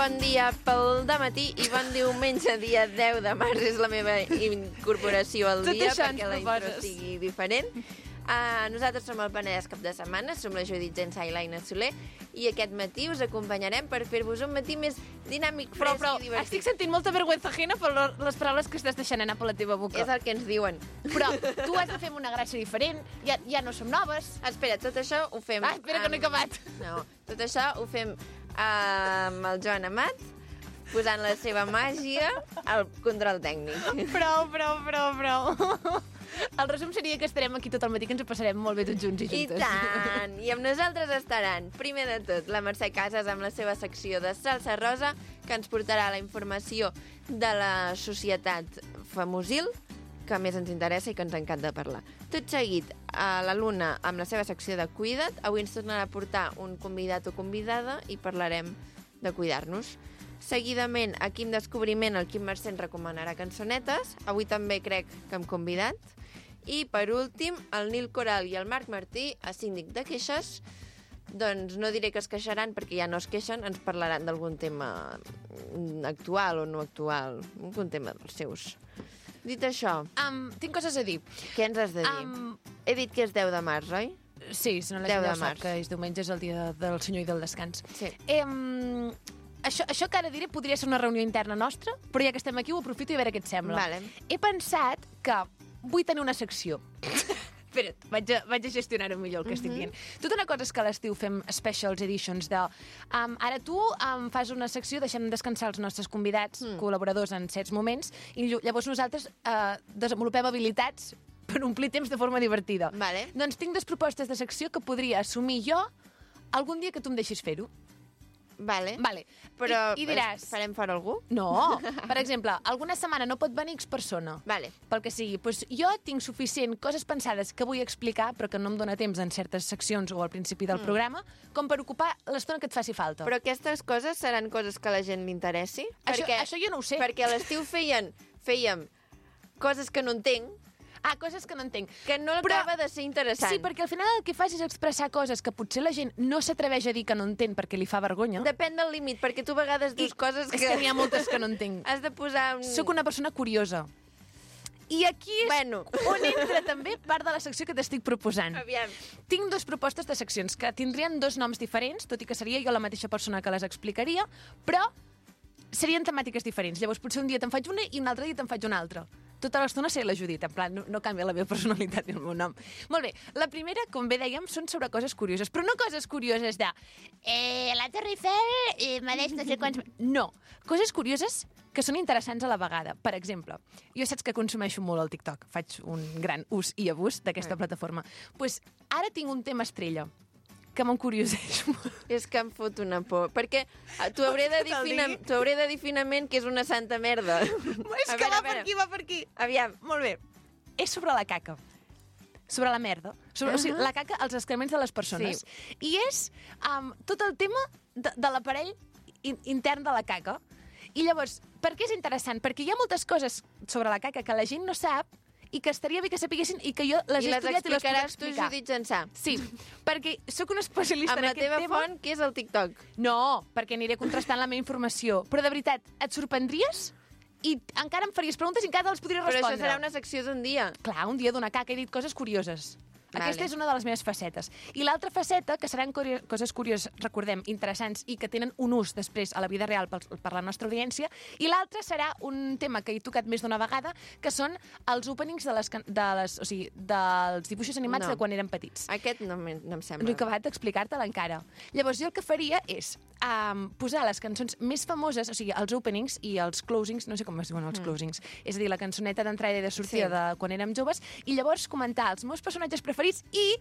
bon dia pel dematí i bon diumenge, dia 10 de març. És la meva incorporació al dia perquè la intro sigui diferent. Nosaltres som el Penedès Cap de Setmana, som la Judit Gensà i l'Aina Soler, i aquest matí us acompanyarem per fer-vos un matí més dinàmic, fresc i divertit. Estic sentint molta vergüenza ajena per les paraules que estàs deixant anar per la teva boca. És el que ens diuen. Però tu has de fer una gràcia diferent, ja no som noves. Espera, tot això ho fem... espera, que no he acabat. No, tot això ho fem amb el Joan Amat, posant la seva màgia al control tècnic. Prou. El resum seria que estarem aquí tot el matí, que ens ho passarem molt bé tots junts i juntes. I tant! I amb nosaltres estaran, primer de tot, la Mercè Casas amb la seva secció de Salsa Rosa, que ens portarà la informació de la societat famosil, que més ens interessa i que ens encanta parlar. Tot seguit, a la Luna, amb la seva secció de Cuida't, avui ens tornarà a portar un convidat o convidada i parlarem de cuidar-nos. Seguidament, a Quim Descobriment, el Quim Mercè ens recomanarà cançonetes. Avui també crec que hem convidat. I, per últim, el Nil Coral i el Marc Martí, a síndic de queixes, doncs no diré que es queixaran perquè ja no es queixen, ens parlaran d'algun tema actual o no actual, algun tema dels seus. Dit això... tinc coses a dir. Què ens has de dir? He dit que és 10 de març, oi? Sí, si no la gent ja sap que és diumenge, és el dia del senyor i del descans. Sí. Això que ara diré podria ser una reunió interna nostra, però ja que estem aquí ho aprofito i a veure què et sembla. Vale. He pensat que vull tenir una secció. Espera't, vaig a gestionar-ho millor el que estic dient. Tota una cosa és que a l'estiu fem specials editions de... ara tu fas una secció deixant descansar els nostres convidats, col·laboradors en certs moments, i llavors nosaltres desenvolupem habilitats per omplir temps de forma divertida. Vale. Doncs tinc 2 propostes de secció que podria assumir jo algun dia que tu em deixis fer-ho. Vale. Però I diràs... farem fora algú? No. Per exemple, alguna setmana no pot venir X persona. Vale. Pel que sigui. Doncs jo tinc suficient coses pensades que vull explicar, però que no em dóna temps en certes seccions o al principi del programa, com per ocupar l'estona que et faci falta. Però aquestes coses seran coses que a la gent li interessi? Això jo no ho sé. Perquè a l'estiu fèiem coses que no entenc, coses que no entenc. que no acaba de ser interessant. Sí, perquè al final el que fas és expressar coses que potser la gent no s'atreveix a dir que no entén perquè li fa vergonya. Depèn del límit, perquè tu a vegades dius coses que... És que n'hi ha moltes que no entenc. Has de posar... Soc una persona curiosa. I aquí és on entra també part de la secció que t'estic proposant. Aviam. Tinc 2 propostes de seccions que tindrien 2 noms diferents, tot i que seria jo la mateixa persona que les explicaria, però serien temàtiques diferents. Llavors potser un dia te'n faig una i un altre dia te'n faig una altra. Tota l'estona seré la Judit, en plan, no canvia la meva personalitat ni el meu nom. Molt bé, la primera, com bé dèiem, són sobre coses curioses, però no coses curioses de la Torre Eiffel mereix no sé quants... No, coses curioses que són interessants a la vegada. Per exemple, jo saps que consumeixo molt el TikTok, faig un gran ús i abús d'aquesta plataforma. Doncs ara tinc un tema estrella que m'encurioseix molt. És que em fot una por. Perquè t'ho hauré de dir finament que és una santa merda. És que va per aquí. Aviam. Molt bé. És sobre la caca. Sobre la merda. O sigui, la caca, els excrements de les persones. Sí. I és tot el tema de l'aparell intern de la caca. I llavors, per què és interessant? Perquè hi ha moltes coses sobre la caca que la gent no sap i que estaria bé que sapiguessin i que jo les he estudiat i les puc explicar. I les explicaràs tu, Judit Gensà. Sí, perquè sóc una especialista en aquest tema. Amb la teva font, que és el TikTok. No, perquè aniré contrastant la meva informació. Però de veritat, et sorprendries? I encara em faries preguntes i encara te les podria respondre. Però això serà una secció d'un dia. Clar, un dia d'una caca, he dit coses curioses. Vale. Aquesta és una de les meves facetes. I l'altra faceta, que seran coses curioses, recordem, interessants i que tenen un ús després a la vida real per la nostra audiència, i l'altra serà un tema que he tocat més d'una vegada, que són els openings dels dibuixos animats de quan érem petits. Aquest no em sembla. No he acabat d'explicar-te'l encara. Llavors, jo el que faria és posar les cançons més famoses, o sigui, els openings i els closings, no sé com es diuen els closings, és a dir, la cançoneta d'entrada i de sortida de quan érem joves, i llavors comentar els meus personatges preferits i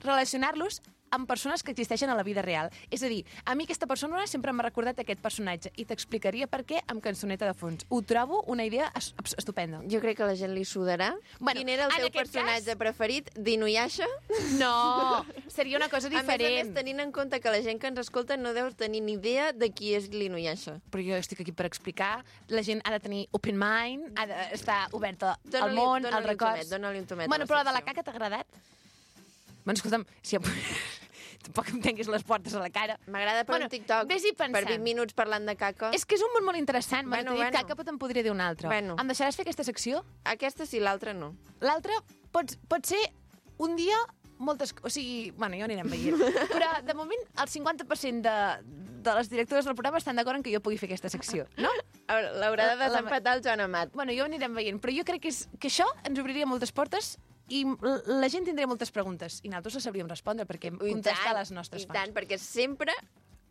relacionar-los amb persones que existeixen a la vida real. És a dir, a mi aquesta persona sempre m'ha recordat aquest personatge i t'explicaria per què amb cançoneta de fons. Ho trobo una idea estupenda. Jo crec que a la gent li sudarà. Bueno, quin era el teu personatge preferit? D'Inuyasha? No, seria una cosa diferent. A més, tenint en compte que la gent que ens escolta no deu tenir ni idea de qui és l'Inuyasha. Però jo estic aquí per explicar. La gent ha de tenir open mind, ha d'estar oberta al món, als records. Dóna-li un tomet. Bueno, però la de la caca t'ha agradat? Bueno, escolta'm, tampoc em tanquis les portes a la cara. M'agrada per un TikTok, vés-hi per pensant. 20 minuts parlant de caca. És que és un món molt interessant. Bueno, M'ha dit caca, però te'n podria dir un altre. Bueno. Em deixaràs fer aquesta secció? Aquesta sí, l'altra no. L'altre pot ser un dia moltes... O sigui, bueno, ja ho anirem veient. Però, de moment, el 50% de les directores del programa estan d'acord en que jo pugui fer aquesta secció, no? L'haurà de desempatar el Joan Amat. Bueno, ja ho anirem veient. Però jo crec que això ens obriria moltes portes i la gent tindria moltes preguntes. I nosaltres les sabríem respondre, perquè contestar les nostres fans. I tant, perquè sempre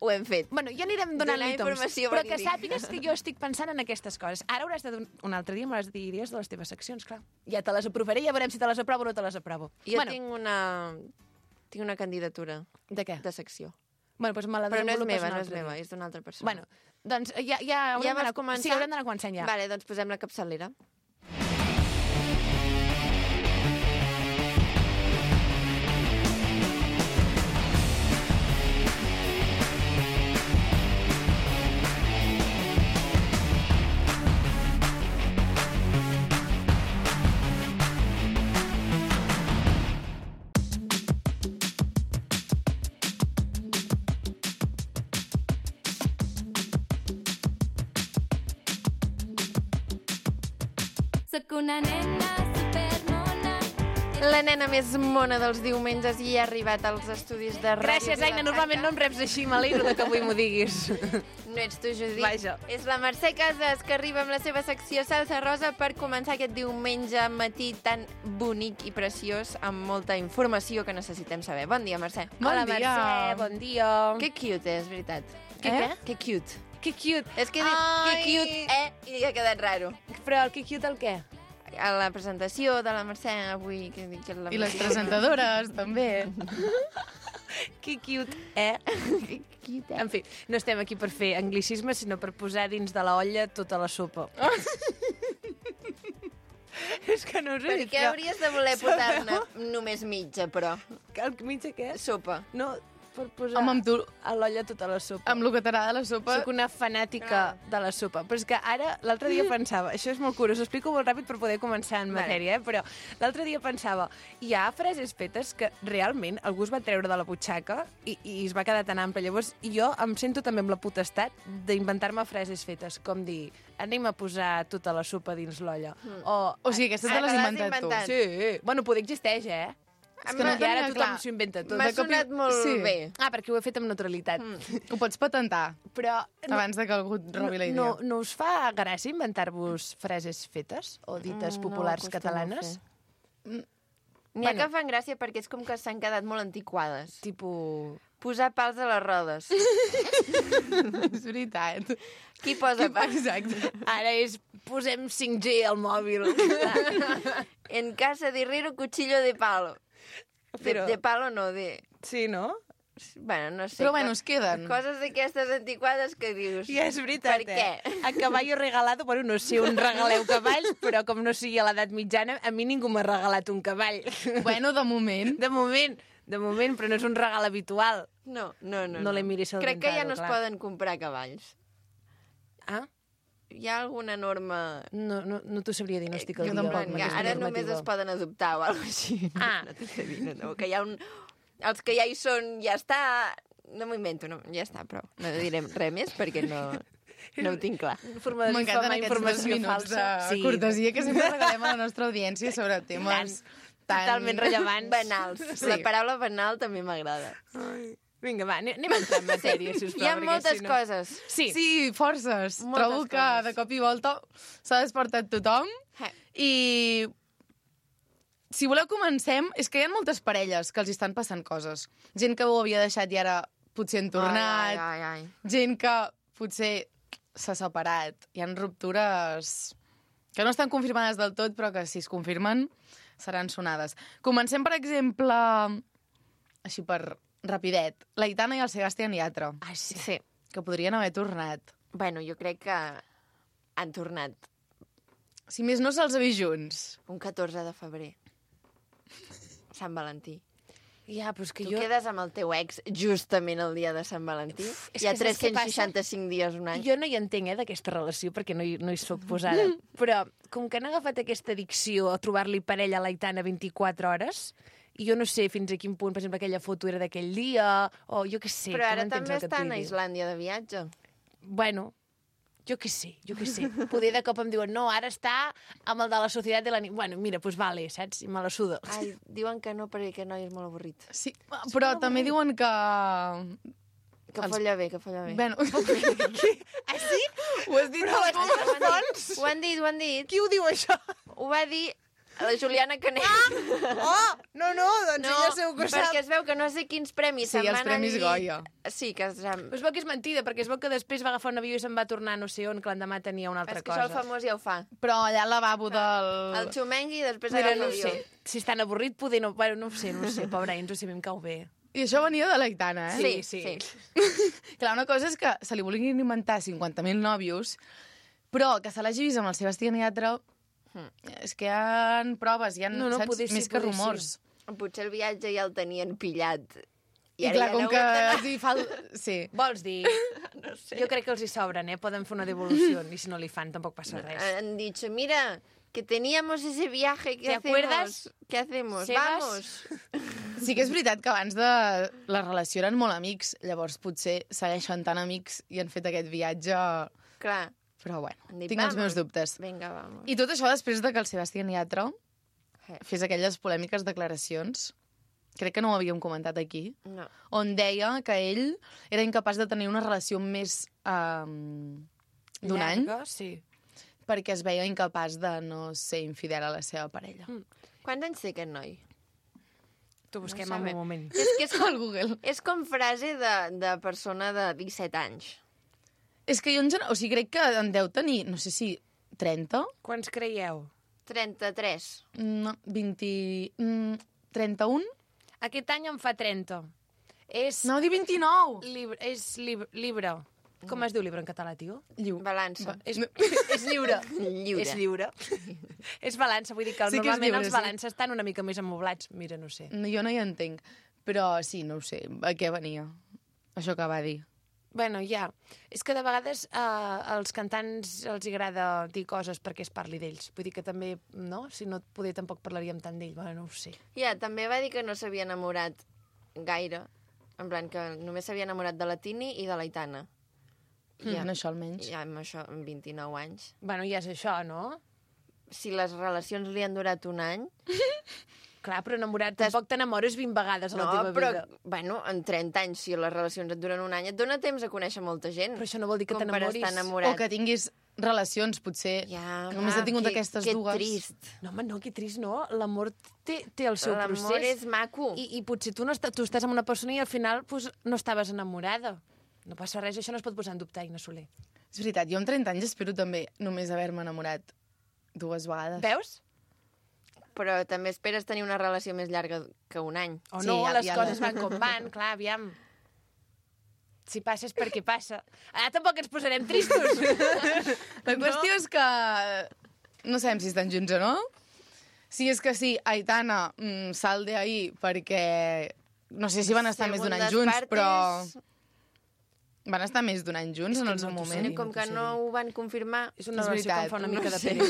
ho hem fet. Bueno, ja anirem donant-li toms, però que sàpigues que jo estic pensant en aquestes coses. Ara hauràs de un altre dia m'hauràs de dir idees de les teves seccions, clar. Ja te les aprovaré, ja veurem si te les aprovo o no te les aprovo. Jo tinc una candidatura. De què? De secció. Bueno, doncs me la però no és meva, és d'una altra persona. Bueno, doncs ja haurem d'anar començant. Sí, haurem d'anar començant ja. Vale, doncs posem la capçalera. Soc una nena supermona. La nena més mona dels diumenges i ha arribat als estudis de ràdio. Gràcies, Aina. Normalment no em reps així. M'alegro que avui m'ho diguis. No ets tu, Judit. Vaja. És la Mercè Casas, que arriba amb la seva secció Salsa Rosa per començar aquest diumenge matí tan bonic i preciós, amb molta informació que necessitem saber. Bon dia, Mercè. Hola, Mercè. Bon dia. Que cute és, veritat. Què? Que cute. Que cute. És que he dit que cute, i ha quedat raro. Però el que cute el què? A la presentació de la Mercè avui. I les presentadores, també. Que cute, Que cute, En fi, no estem aquí per fer anglicisme, sinó per posar dins de la olla tota la sopa. És que no us ho he Per dit, què hauries de voler posar-ne només mitja, però? El mitja què? Sopa. No, per posar Home, amb tu, a l'olla tota la sopa. amb el que t'agrada la sopa... Soc una fanàtica de la sopa. Però és que ara, l'altre dia pensava... Això és molt curiós, ho explico molt ràpid per poder començar en matèria, però l'altre dia pensava, hi ha frases fetes que realment algú es va treure de la butxaca i es va quedar tan ample. Llavors, jo em sento també amb la potestat d'inventar-me frases fetes, com dir, anem a posar tota la sopa dins l'olla. O sigui, aquesta te l'has inventat tu. Sí. Bueno, poder existeix, És que no, ara tothom s'ho inventa tot. M'ha sonat molt bé. Perquè ho he fet amb naturalitat. Ho pots patentar, Però abans de que algú et robi la idea. No us fa gràcia inventar-vos frases fetes o dites populars catalanes? N'hi ha que fan gràcia perquè és com que s'han quedat molt antiquades. Tipo... Posar pals a les rodes. És veritat. Qui posa pals? Exacte. Ara posem 5G al mòbil. En casa de herrero, cuchillo de palo. Però... De palo no, de... Sí, no? Bueno, no sé. Però bueno, es queden. Coses d'aquestes antiquades que dius... Ja és veritat, Per què? A caballo regalado, bueno, no sé on regaleu cavalls, però com no sigui a l'edat mitjana, a mi ningú m'ha regalat un cavall. Bueno, de moment. De moment, però no és un regal habitual. No. No le miris el Crec que ja dentado, no es clar. poden comprar cavalls. Ah? Hi ha alguna norma... No t'ho sabria dir, no estic al jo dia. tampoc, amb que aquesta ara només normativa. es poden adoptar o alguna cosa així. Ah. No t'ho sé dir, no. Que hi ha els que ja hi són, ja està... No m'ho invento, no, ja està, prou. No direm res més perquè no ho tinc clar. Forma de M'encanten difamar aquests 2 informació minuts falsa. de cortesia que sempre regalem a la nostra audiència sobre temes tan... Totalment rellevants. Banals. Sí. La paraula banal també m'agrada. Vinga, va, anem a entrar en matèria, sisplau. Hi ha perquè moltes si no... coses. Sí. Sí, forces. Moltes Trobo que coses. de cop i volta s'ha despertat tothom i si voleu comencem, és que hi ha moltes parelles que els estan passant coses. Gent que ho havia deixat i ara potser han tornat, Ai. gent que potser s'ha separat. Hi ha ruptures que no estan confirmades del tot, però que si es confirmen seran sonades. Comencem, per exemple, així per rapidet, l'Aitana i el Sebastián Yatra, Ah, sí. Sí. que podrien haver tornat. Bueno, jo crec que han tornat Si més no se'ls ha vist junts. un 14 de febrer. Sant Valentí. Ja, però és que Tu jo... quedes amb el teu ex justament el dia de Sant Valentí? és Hi ha que saps què 365 dies un any. Jo no hi entenc, d'aquesta relació, perquè no hi soc posada. Però, com que han agafat aquesta addicció a trobar-li parella a l'Aitana 24 hores, i jo no sé fins a quin punt, per exemple, aquella foto era d'aquell dia, o jo què sé. Però que ara no entens també el que et estan vull a dir. Islàndia de viatge. Bueno, jo què sé. Poder de cop em diuen, no, ara està amb el de la Societat de la Nit. Bueno, mira, doncs vale, saps? I me la suda. Ai, diuen que no perquè aquest noi és molt avorrit. Sí, però també diuen que... Que folla bé, que folla bé. Bueno, Ah, sí? ho has dit Però Ho han dit, ho han dit. qui ho diu, això? Ho va dir la Juliana Canet. Oh, no, doncs ella segur que ho perquè sap. es veu que no sé quins premis Sí, se'n els van premis al llit. Goya. Sí, que se'n... Però es veu que és mentida, perquè es veu que després va agafar un avió i se'n va tornar no sé on, que l'endemà tenia una altra És que això cosa. el famós ja ho fa. Però allà al lavabo del... El xumengui i després Mira, agafa no ho avió. sé. Si és tan avorrit, poder no... Bueno, no ho sé, pobre Enzo, si a mi em cau bé. I això venia de l'Aitana, eh? Sí. Clar, una cosa és que se li vulguin inventar 50.000 nòvios, però que se l'hagi vist amb el Sebastián Yatra, és que hi ha proves, hi ha, No, saps? poder sí, Més que poder rumors. Potser el viatge ja el tenien pillat. I clar, com que els hi fa... Sí. Vols dir? No sé. Jo crec que els hi sobren, Poden fer una devolució, i si no li fan tampoc passa res. Han dicho, mira, que teníamos ese viaje, ¿qué ¿Te hacemos? acuerdas? ¿Qué hacemos? Sebas? Vamos. Sí que és veritat que abans de la relació eren molt amics, llavors potser segueixen tan amics i han fet aquest viatge... Clar. Però bueno, Han dit, tinc els "Vamos". meus dubtes. Vinga, vamos. I tot això després de que el Sebastián Yatra Eh. fes aquelles polèmiques declaracions, crec que no ho havíem comentat aquí, No. on deia que ell era incapaç de tenir una relació més d'un any Llarga, sí. perquè es veia incapaç de no ser infidel a la seva parella. Quants anys té aquest noi? T'ho busquem No en sabem. un moment. És que és com, Al Google. és com frase de persona de 17 anys. És que jo en general, o sigui, crec que en deu tenir, no sé si 30, Quants creieu? 33. no, 20, 31? Aquest any en fa 30. És No, di 29! llibre. Com es diu llibre en català, tio? Balança. És lliure. Lliure. És lliure. És balança, vull dir que Sí que és normalment lliure, els sí. balances estan una mica més amoblats. Mira, no sé. No, jo no hi entenc. Però sí, no ho sé, a què venia? Això que va dir. Bueno, ja. És que de vegades als cantants els agrada dir coses perquè es parli d'ells. Vull dir que també, no? Si no, poder tampoc parlaríem tant d'ell. Bueno, no ho sé. Ja, també va dir que no s'havia enamorat gaire. En plan, que només s'havia enamorat de la Tini i de l'Aitana. En això almenys. Ja amb això, amb 29 anys. Bueno, ja és això, no? Si les relacions li han durat un any... Clar, però enamorat, tampoc t'enamores 20 vegades a la teva però, vida. bueno, en 30 anys, si les relacions et duren un any, et dona temps a conèixer molta gent. Però això no vol dir que com per t'enamoris. estar enamorat. O que tinguis relacions, potser, Ja, que només he tingut aquestes que dues. trist. No, home, no, que trist, no. L'amor té el seu procés. L'amor és maco. I potser tu estàs amb una persona i al final pues, no estaves enamorada. No passa res, això no es pot posar en dubte, Aina Soler. És veritat, jo amb 30 anys espero també només haver-me enamorat 2 vegades. Veus? Però també esperes tenir una relació més llarga que un any. O Sí, no, ja- les ja coses no. van com van, clar, aviam. Si passa és perquè passa. Ara tampoc ens posarem tristos. La qüestió és que no sabem si estan junts o no. Si és que sí, Aitana, sal de ahí, perquè no sé si van estar més d'un any Segundas junts, partes, però van estar més d'un any junts en el seu no t'ho sé moment. dir. Com que no ho van confirmar, És una És relació que veritat, em fa una no mica de sé. pena.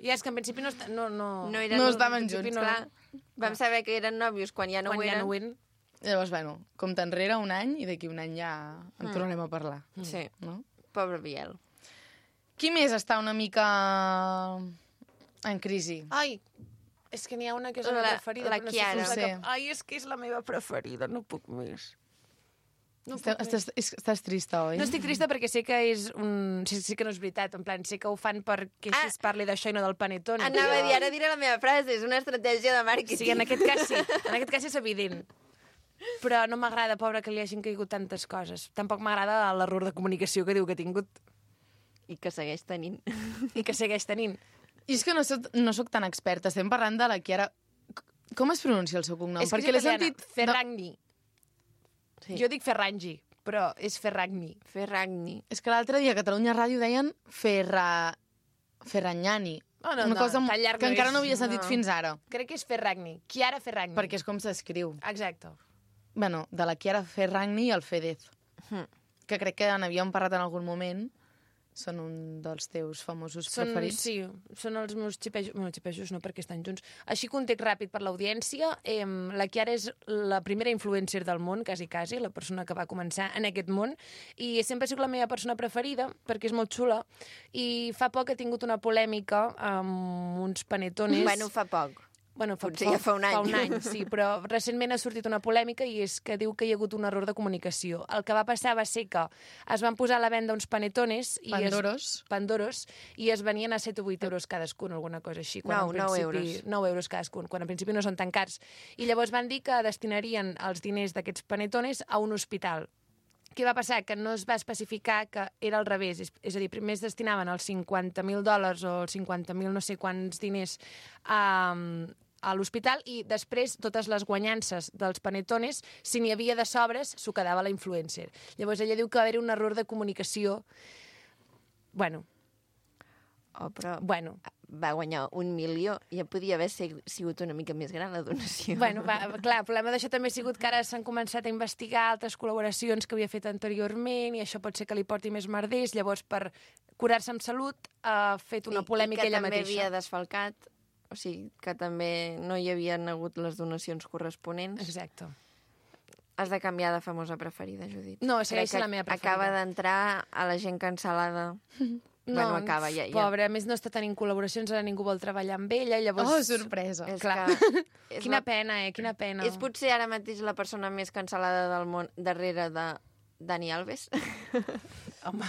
I és que en principi no... eren, No estaven en principi junts. No. Clar, vam saber que eren nòvios quan ja no Quan ho ja eren. no ho eren. Llavors, bueno, compte enrere un any i d'aquí un any ja en tornarem a parlar. Sí, No? pobre Biel. Qui més està una mica en crisi? Ai, és que n'hi ha una que és la, meva preferida. la però no Chiara. sé si us Sí. Ai, és que és la meva preferida, no puc més. No puc Estàs, més. estàs trista, oi? No estic trista perquè sé que és un... Sí que no és veritat, en plan, sé que ho fan perquè així es parli d'això i no del panetone. Anava a dir, ara diré la meva frase, és una estratègia de màrqueting. Sí, en aquest cas sí. En aquest cas és evident. Però no m'agrada, pobra, que li hagin caigut tantes coses. Tampoc m'agrada l'error de comunicació que diu que ha tingut I que segueix tenint. i que segueix tenint. I és que no soc tan experta. Estem parlant de la Chiara... Com es pronuncia el seu cognom? És que Perquè l'he sentit... Ferragni. Sí. Jo dic Ferrangi, però és Ferragni. Ferragni. És que l'altre dia a Catalunya Ràdio deien Ferranyani. Oh, no, Una no, cosa tan llarg que no encara és. no havia sentit No. fins ara. Crec que és Ferragni. Chiara Ferragni. Perquè és com s'escriu. Exacte. Bueno, de la Chiara Ferragni i el Fedez. Hm. Que crec que n'havíem parlat en algun moment, són un dels teus famosos preferits. Sí, són els meus xipejos. Bueno, xipejos no, perquè estan junts. Així, context ràpid per l'audiència. La Chiara és la primera influencer del món, quasi, la persona que va començar en aquest món, i sempre ha sigut la meva persona preferida, perquè és molt xula, i fa poc ha tingut una polèmica amb uns panetones... Bueno, fa poc. Bueno, Potser ja fa un any. Fa un any, sí, però recentment ha sortit una polèmica i és que diu que hi ha hagut un error de comunicació. El que va passar va ser que es van posar a la venda uns panetones... Pandoros, i es venien a 7 o 8 euros cadascun, alguna cosa així. 9 euros. 9 euros cadascun, quan en principi no són tan cars. I llavors van dir que destinarien els diners d'aquests panetones a un hospital. Què va passar? Que no es va especificar que era al revés. És a dir, primer es destinaven els $50.000 o els 50.000 no sé quants diners a l'hospital i després totes les guanyances dels panetones, si n'hi havia de sobres, s'ho quedava la influencer. Llavors ella diu que va haver-hi un error de comunicació. Bueno. Bueno, va guanyar 1 milió. Ja podia haver sigut una mica més gran la donació. Bueno, clar, el problema d'això també ha sigut que ara s'han començat a investigar altres col·laboracions que havia fet anteriorment i això pot ser que li porti més merders. Llavors, per curar-se amb salut, ha fet una polèmica ella mateixa. I que també havia desfalcat, o sigui, que també no hi havien hagut les donacions corresponents. Exacte. Has de canviar de famosa preferida, Judit. No, segueix la meva preferida. Acaba d'entrar a la gent cancel·lada. No, bueno, acaba, ja. Pobre, a més no està tenint col·laboracions, ara ningú vol treballar amb ella, llavors... Oh, sorpresa. Clar. Quina pena, quina pena. És potser ara mateix la persona més cancel·lada del món darrere de Dani Alves? Home,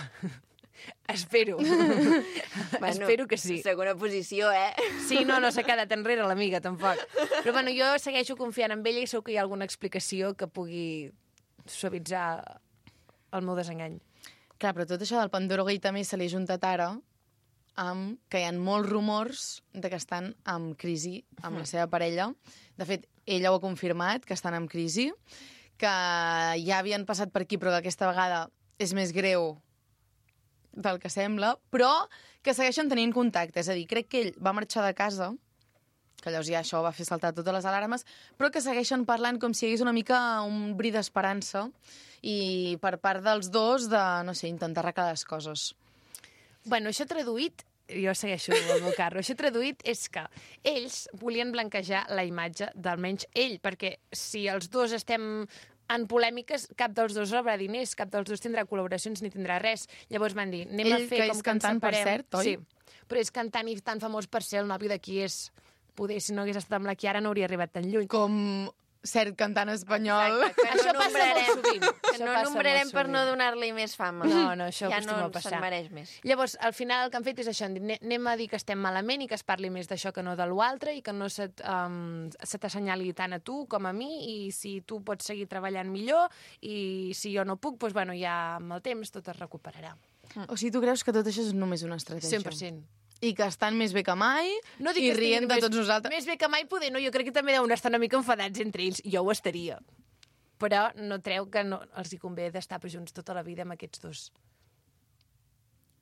espero. Bueno, espero que sí. Segona posició, Sí, no s'ha quedat enrere l'amiga, tampoc. Però bueno, jo segueixo confiant en ella i segur que hi ha alguna explicació que pugui suavitzar el meu desengany. Clar, però tot això del Pandoro Gate també se li ha juntat ara amb que hi ha molts rumors de que estan en crisi amb la seva parella. De fet, ella ho ha confirmat, que estan en crisi, que ja havien passat per aquí, però que aquesta vegada és més greu del que sembla, però que segueixen tenint contacte. És a dir, crec que ell va marxar de casa, que llavors ja això va fer saltar totes les alarmes, però que segueixen parlant com si hi hagués una mica un bri d'esperança i per part dels dos de, no sé, intentar arreglar les coses. Bueno, això traduït, jo segueixo el meu carro, això traduït és que ells volien blanquejar la imatge d'almenys ell, perquè si els dos estem en polèmiques, cap dels dos rebrà diners, cap dels dos tindrà col·laboracions ni tindrà res. Llavors van dir, anem a fer com que ens separem. Per cert, oi? Sí, però és cantant i tan famós per ser el nòvio de qui és. Poder, si no hagués estat amb la Chiara, no hauria arribat tan lluny. Com cert cantant espanyol. Exacte, això passa molt sovint. Que no nombrarem per no donar-li més fama. No, això ja acostuma no a passar. se'n mereix més. Llavors, al final, el que han fet és això, anem a dir que estem malament i que es parli més d'això que no de l'altre i que no se t'assenyali tant a tu com a mi i si tu pots seguir treballant millor i si jo no puc, doncs, bueno, ja amb el temps tot es recuperarà. O sigui, tu creus que tot això és només una estratègia? 100%. I que estan més bé que mai i rient de tots nosaltres. Més bé que mai poder, no, jo crec que també deuen estar una mica enfadats entre ells. Jo ho estaria. Però no treu que no els hi convé d'estar junts tota la vida amb aquests dos.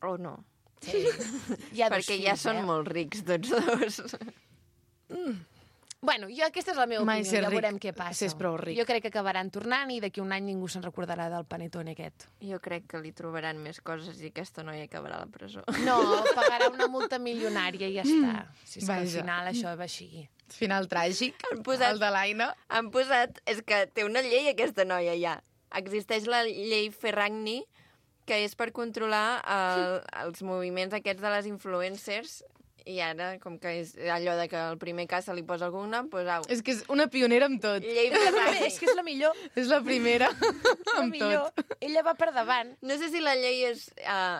O no. Sí. Perquè ja són molt rics tots dos. Bueno, aquesta és la meva opinió, ja veurem què passa. Si és prou ric. Jo crec que acabaran tornant i d'aquí un any ningú se'n recordarà del panetone aquest. Jo crec que li trobaran més coses i aquesta noia acabarà a la presó. No, pagarà una multa milionària i ja està. Si és que al final això va així. Final tràgic, el de l'Aina. Han posat... És que té una llei aquesta noia ja. Existeix la llei Ferragni, que és per controlar els moviments aquests de les influencers. I ara, com que és allò de que el primer cas se li posa algun nom, doncs au. És que és una pionera amb tot. Llei Ferragni. És que és la millor. És la primera amb tot. Ella va per davant. No sé si la llei és...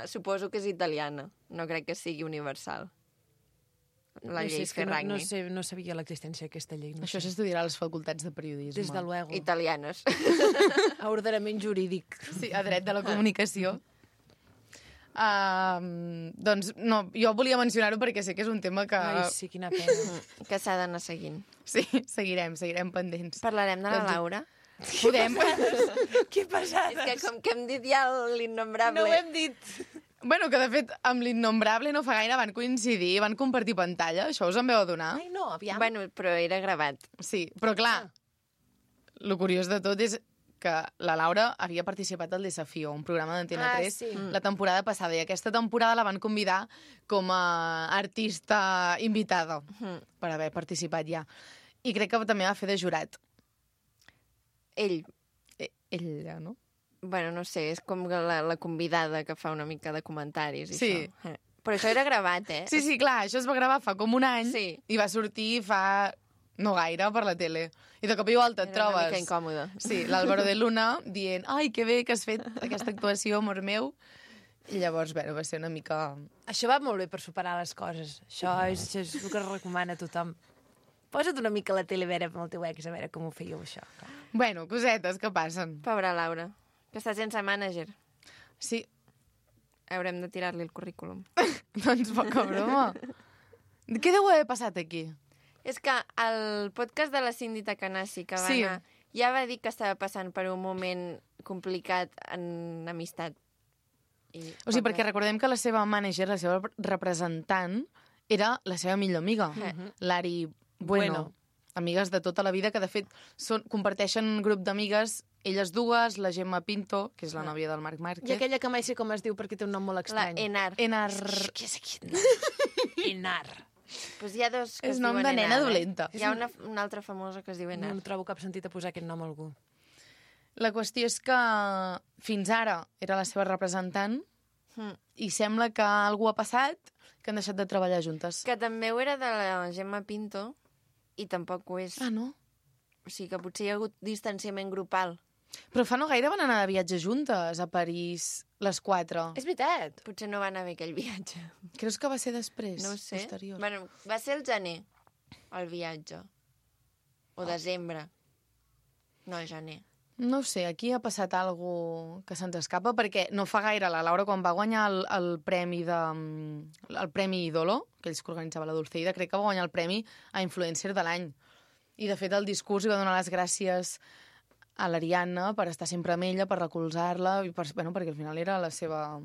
suposo que és italiana. No crec que sigui universal. La llei Ferragni. No sabia l'existència d'aquesta llei. Això s'estudiarà a les facultats de periodisme. Des de luego. Italianes. A ordenament jurídic. Sí, a dret de la comunicació. Doncs no, jo volia mencionar-ho perquè sé que és un tema que... Ai, sí, quina pena. Que s'ha d'anar seguint. Sí, seguirem pendents. Parlarem de la Laura? Podem. Què passa? És que com que hem dit ja l'innombrable... No ho hem dit. Bueno, que de fet amb l'innombrable no fa gaire van coincidir, van compartir pantalla, això us en veu adonar? Ai, no, aviam. Bueno, però era gravat. Sí, però clar, lo curiós de tot és que la Laura havia participat al Desafío, un programa d'Antena 3, sí. la temporada passada, i aquesta temporada la van convidar com a artista invitada per haver participat ja. I crec que també va fer de jurat. Ell, Ella, no? bueno, no sé, és com la convidada que fa una mica de comentaris i Sí. això. Però això era gravat, Sí, sí, clar, això es va gravar fa com un any Sí. i va sortir fa no gaire per la tele. I de cop i volta et Era una trobes... mica incòmode. Sí, l'Álvaro de Luna dient ai, que bé que has fet aquesta actuació, amor meu. I llavors, bueno, va ser una mica... Això va molt bé per superar les coses. Això és el que es recomana a tothom. Posa't una mica a la tele a veure amb el teu ex, a veure com ho fèieu, això. Bueno, cosetes que passen. Pobra Laura, que està sense mànager. Sí, Haurem de tirar-li el currículum. doncs poca broma. Què deu haver passat aquí? És que el podcast de la Cindy Takanashi que va Sí. anar ja va dir que estava passant per un moment complicat en amistat. O sigui, perquè recordem que la seva mànager, la seva representant, era la seva millor amiga, l'Ari Bueno. Amigues de tota la vida, que de fet comparteixen un grup d'amigues, elles dues, la Gemma Pinto, que és la nòvia del Marc I Márquez. aquella que mai sé com es diu perquè té un nom molt La estrany. Enar. Enar... Què és aquest nom? Enar. Pues hi ha dos que És es nom diuen de nena Enar, dolenta. Hi ha una altra famosa que es diu Enar. No trobo cap sentit a posar aquest nom a algú. La qüestió és que fins ara era la seva representant i sembla que algú ha passat que han deixat de treballar juntes. Que també ho era de la Gemma Pinto i tampoc ho és. Ah, no? O sigui que potser hi ha hagut distanciament grupal. Però fa no gaire van anar de viatge juntes a París, les quatre. És veritat. Potser no va anar bé aquell viatge. Creus que va ser després? No ho sé. Posterior? Bueno, va ser el gener, el viatge. O desembre. No, gener. No ho sé, aquí ha passat algo que se'ns escapa, perquè no fa gaire la Laura, quan va guanyar el premi Idolo, que ells que organitzava la Dulceida, crec que va guanyar el premi a Influencer de l'any. I, de fet, el discurs hi va donar les gràcies a l'Ariadna per estar sempre amb ella, per recolzar-la, i perquè al final era la seva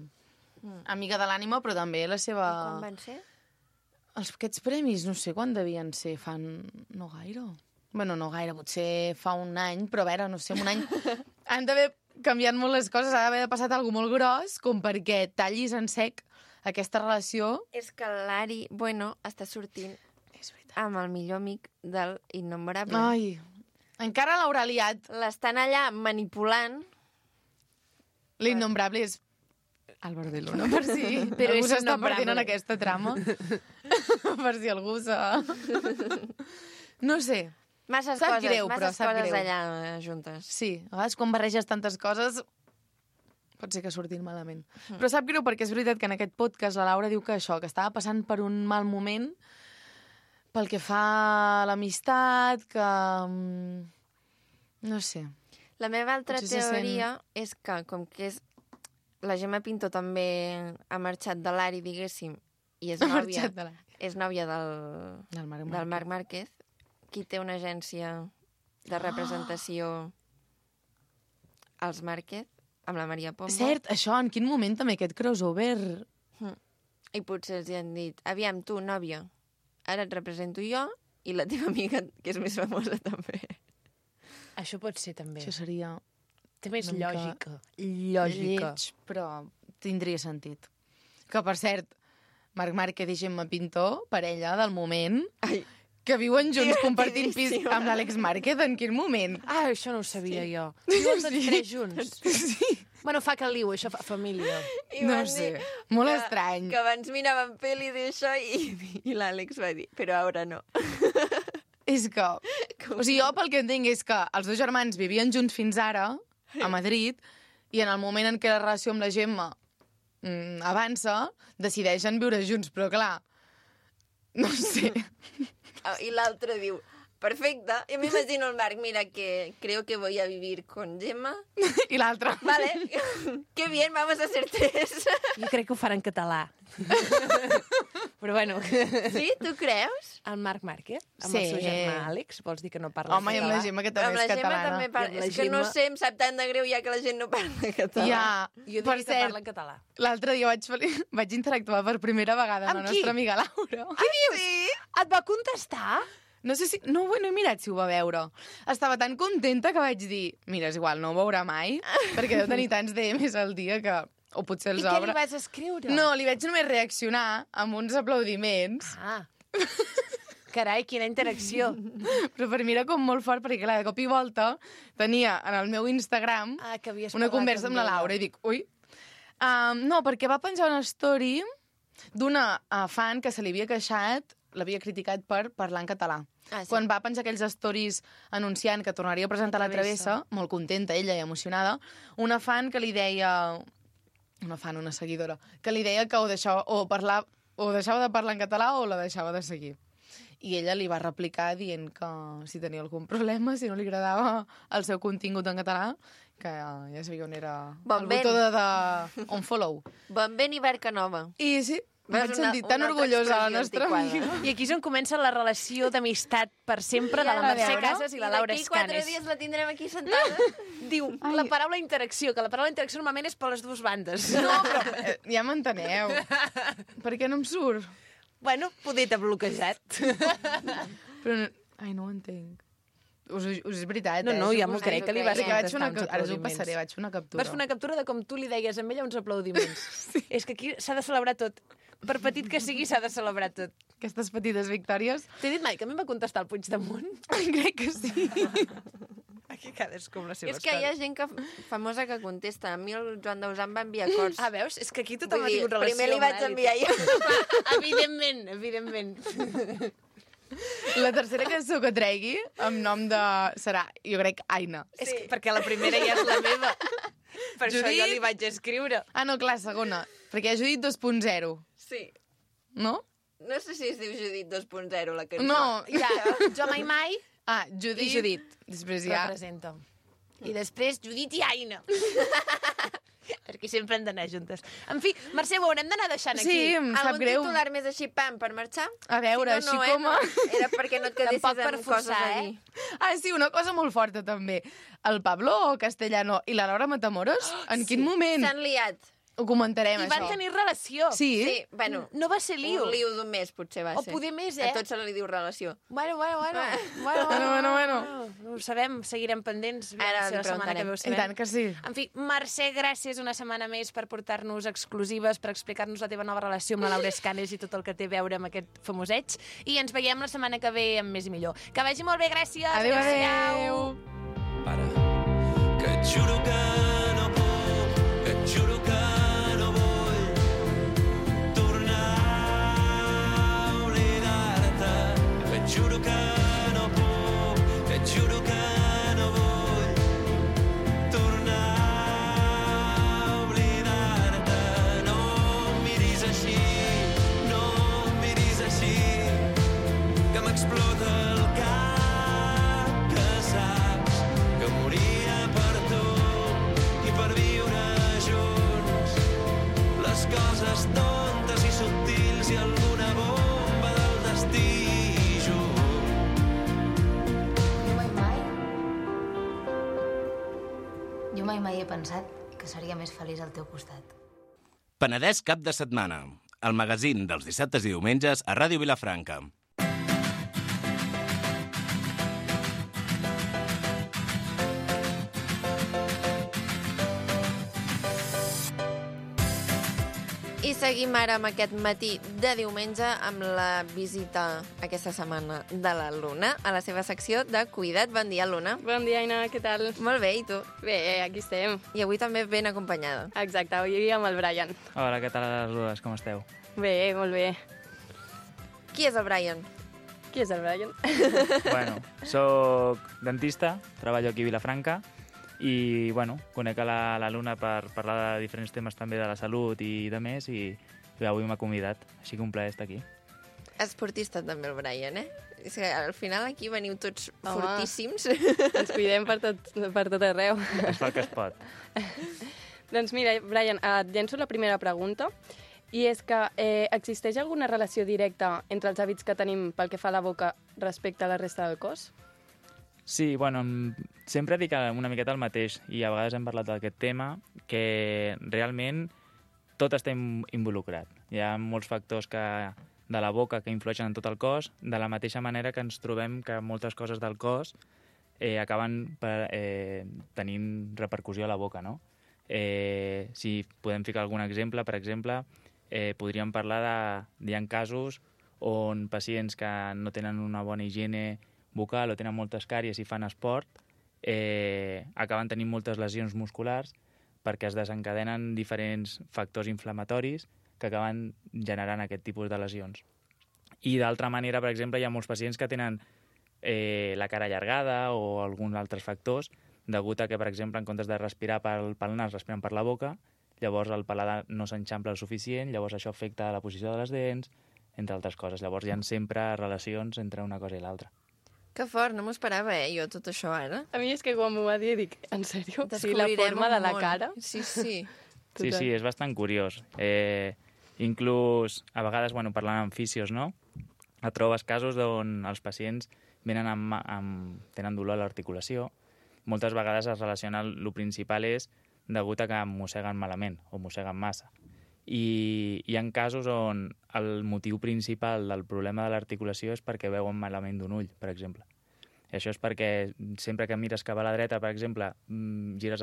amiga de l'ànima, però també la seva... Quan van ser? Aquests premis, no sé quan devien ser, no gaire. Bueno, no gaire, potser fa un any, però a veure, no sé, en un any han d'haver canviat molt les coses, ha d'haver passat alguna molt gros, com perquè tallis en sec aquesta relació. És que l'Ari, bueno, està sortint És veritat. amb el millor amic del Innombrable. Ai, encara l'haurà liat. L'estan allà manipulant. L'innombrable és Álvaro de Luna, per si Però algú és s'està innombrable. perdent en aquesta trama. Per si algú s'ha... No sé. Masses Sap coses, greu, però masses sap coses greu. allà juntes. Sí, a vegades quan barreges tantes coses pot ser que surtin malament. Però sap greu perquè és veritat que en aquest podcast la Laura diu que això, que estava passant per un mal moment pel que fa a l'amistat, que... No sé. La meva altra Potser se teoria és que, com que és... La Gemma Pinto també ha marxat de l'Ari, diguéssim, i és Ha nòvia, marxat de la... és nòvia del Del Marc Márquez, qui té una agència de representació als Márquez, amb la Maria Pombo. Cert, això, en quin moment també aquest crossover... I potser els hi han dit, aviam, tu, nòvia, ara et represento jo i la teva amiga, que és més famosa també. Això pot ser, també. Això seria Té més una mica lògica. Lògica. lleig, però tindria sentit. Que, per cert, Marc Márquez i Gemma Pinto, parella del moment, Ai, que viuen junts compartint pis Divertidíssima. amb l'Àlex Márquez, en quin moment? Ah, això no ho sabia jo. Viuen tots tres junts. Sí. Bueno, fa caliu, això fa família. I No van sé, dir molt que- estrany. Que abans miraven pel·li d'això i l'Àlex va dir, però ara no. És que... O sigui, jo pel que entenc és que els dos germans vivien junts fins ara, a Madrid, i en el moment en què la relació amb la Gemma avança, decideixen viure junts, però clar, no sé. I l'altre diu, perfecte. I m'imagino el Marc, mira, que creo que voy a vivir con Gemma. I l'altre... Vale, qué bien, vamos a ser tres. Jo crec que ho farà en català. Però bueno, Sí, tu creus? el Marc Márquez, amb Sí. el seu germà Àlex, vols dir que no parla Home, i amb la Gemma, que també Amb és la Gemma catalana. també parla. I amb la És que no Gemma- sé, em sap tant de greu ja que la gent no parla català. Ja, Jo per diria que cert, parla en català. l'altre dia vaig interactuar per primera vegada amb la Amb qui? nostra amiga Laura. Què dius? Sí? Et va contestar? No sé si... No he mirat si ho va veure. Estava tan contenta que vaig dir, mira, és igual, no ho veurà mai, perquè deu tenir tants DMs al dia que... O potser els I què obre. li vas escriure? No, li vaig només reaccionar amb uns aplaudiments. Ah. Carai, quina interacció. Però per mi era com molt fort, perquè clar, de cop i volta tenia en el meu Instagram Que havies una parlat conversa amb la ella. Laura i dic, ui... no, perquè va penjar una story d'una fan que se li havia queixat, l'havia criticat per parlar en català. Ah, sí. Quan va penjar aquells stories anunciant que tornaria a presentar la Travessa, molt contenta ella i emocionada, una fan que li deia... Una seguidora, que li deia que o deixava de parlar en català o la deixava de seguir. I ella li va replicar dient que si tenia algun problema, si no li agradava el seu contingut en català, que ja sabia on era el botó de unfollow. Bon vent i barca nova. I sí, vaig Veus sentir tan una altra orgullosa la expressió nostra antiquada. amiga. I aquí és on comença la relació d'amistat per sempre de la a Mercè veure. Casas i la Laura D'aquí 4 Escanes. dies la tindrem aquí sentada. Diu la paraula interacció, que la paraula interacció normalment és per les dues bandes. No, però ja m'enteneu. Per què no em surt? Bueno, poder t'ha bloquejat. Però ai, no ho entenc. Us és veritat, No, ja m'ho suposo crec, que li vas que Perquè contestar uns ara us ho aplaudiments. passaré, vaig fer una captura. Vas fer una captura de com tu li deies a ella uns aplaudiments. Sí. És que aquí s'ha de celebrar tot. Per petit que sigui, s'ha de celebrar tot. Aquestes petites victòries. T'he dit mai que a mi em va contestar el Puigdemont? Crec que sí. Aquí cadascú amb les seves És que hi ha gent famosa que contesta. A mi el Joan Dausà em va enviar cors. Ah, veus? És que aquí tothom Vull ha dir, tingut relació. primer li vaig amb enviar jo. Evidentment, evidentment. La tercera cançó que tregui, amb nom de... serà, jo crec, Aina. És que, perquè la primera ja és la meva. Per això Judit? jo li vaig escriure. Ah, no, clar, segona. Perquè ha Judit 2.0, Sí. no? No sé si es diu Judit 2.0, la cançó. No. Ja, jo mai Ah, Judit. I Judit. Després ja... representa. I després Judit i Aina. Perquè sempre han d'anar juntes. En fi, Mercè, ho haurem d'anar deixant aquí. Sí, em sap Algun greu. titular més així, pam, per marxar? A veure, Si no, així com a... No. Era perquè no et quedessis Tampoc per amb coses forçar, a dir. Ah, sí, una cosa molt forta, també. El Pablo Castellano i la Laura Matamoros, en quin moment? S'han liat. Ho comentarem, I això. van tenir relació. Sí? Sí, bueno, No va ser lío. un lío d'un mes, potser va O ser. poder més, A tot se li diu relació. Bueno. No ho sabem, seguirem pendents. Ara la setmana que preguntarem. ve ho I sabem. tant que sí. En fi, Mercè, gràcies una setmana més per portar-nos exclusives, per explicar-nos la teva nova relació amb la Laura Escanes i tot el que té a veure amb aquest famoseig. I ens veiem la setmana que ve amb més i millor. Que vagi molt bé, gràcies. Adéu, Adéu. adéu. Para, que et juro que no puc, que et juro que no vull tornar a oblidar-te, que et juro que no puc, que et juro que no vull tornar a oblidar-te. No em miris així, no em miris així, que m'explota el cap, que saps que moria per tu i per viure junts les coses tontes i subtils i alguna bomba del destí Jo mai he pensat que seria més feliç al teu costat. Penedès cap de setmana. El magazín dels dissabtes i diumenges a Ràdio Vilafranca. I seguim ara amb aquest matí de diumenge amb la visita aquesta setmana de la Luna a la seva secció de Cuida't. Bon dia, Luna. Bon dia, Aina, què tal? Molt bé, i tu? Bé, aquí estem. I avui també ben acompanyada. Exacte, avui amb el Brian. Hola, què tal a les dues? Com esteu? Bé, molt bé. Qui és el Brian? Qui és el Brian? Bueno, soc dentista, treballo aquí a Vilafranca i, bueno, conec a la Luna per parlar de diferents temes també de la salut i de més i avui m'ha convidat, així que un plaer estar aquí. Esportista també el Brian, eh? És que al final aquí veniu tots Home. fortíssims. Ens cuidem per tot arreu. Es fa el que es pot. Doncs mira, Brian, et llenço la primera pregunta. I és que existeix alguna relació directa entre els hàbits que tenim pel que fa a la boca respecte a la resta del cos? Sí, bueno, sempre dic una miqueta el mateix i a vegades hem parlat d'aquest tema, que realment tot està involucrat. Hi ha molts factors que de la boca que influeixen en tot el cos, de la mateixa manera que ens trobem que moltes coses del cos acaben tenint repercussió a la boca, no? Si podem ficar algun exemple, per exemple, podríem parlar hi ha casos on pacients que no tenen una bona higiene bucal o tenen moltes càries i fan esport, acaben tenint moltes lesions musculars perquè es desencadenen diferents factors inflamatoris que acaben generant aquest tipus de lesions. I d'altra manera, per exemple, hi ha molts pacients que tenen la cara allargada o alguns altres factors degut a que, per exemple, en comptes de respirar pel nas, respiren per la boca, llavors el paladar no s'enxampla el suficient, llavors això afecta la posició de les dents, entre altres coses. Llavors hi ha sempre relacions entre una cosa i l'altra. Que fort, no m'ho esperava, jo, tot això ara. A mi és que quan m'ho va dir, dic, en sèrio? Sí, la Descobrirem forma de la un món. cara. Sí, sí. Sí, sí, és bastant curiós. Inclús, a vegades, parlant amb fisios, no? Et trobes casos on els pacients venen tenen dolor a l'articulació. Moltes vegades es relaciona, el principal és degut a que mosseguen malament o mosseguen massa. I hi ha casos on el motiu principal del problema de l'articulació és perquè veuen malament d'un ull, per exemple. I això és perquè sempre que mires cap a la dreta, per exemple, mires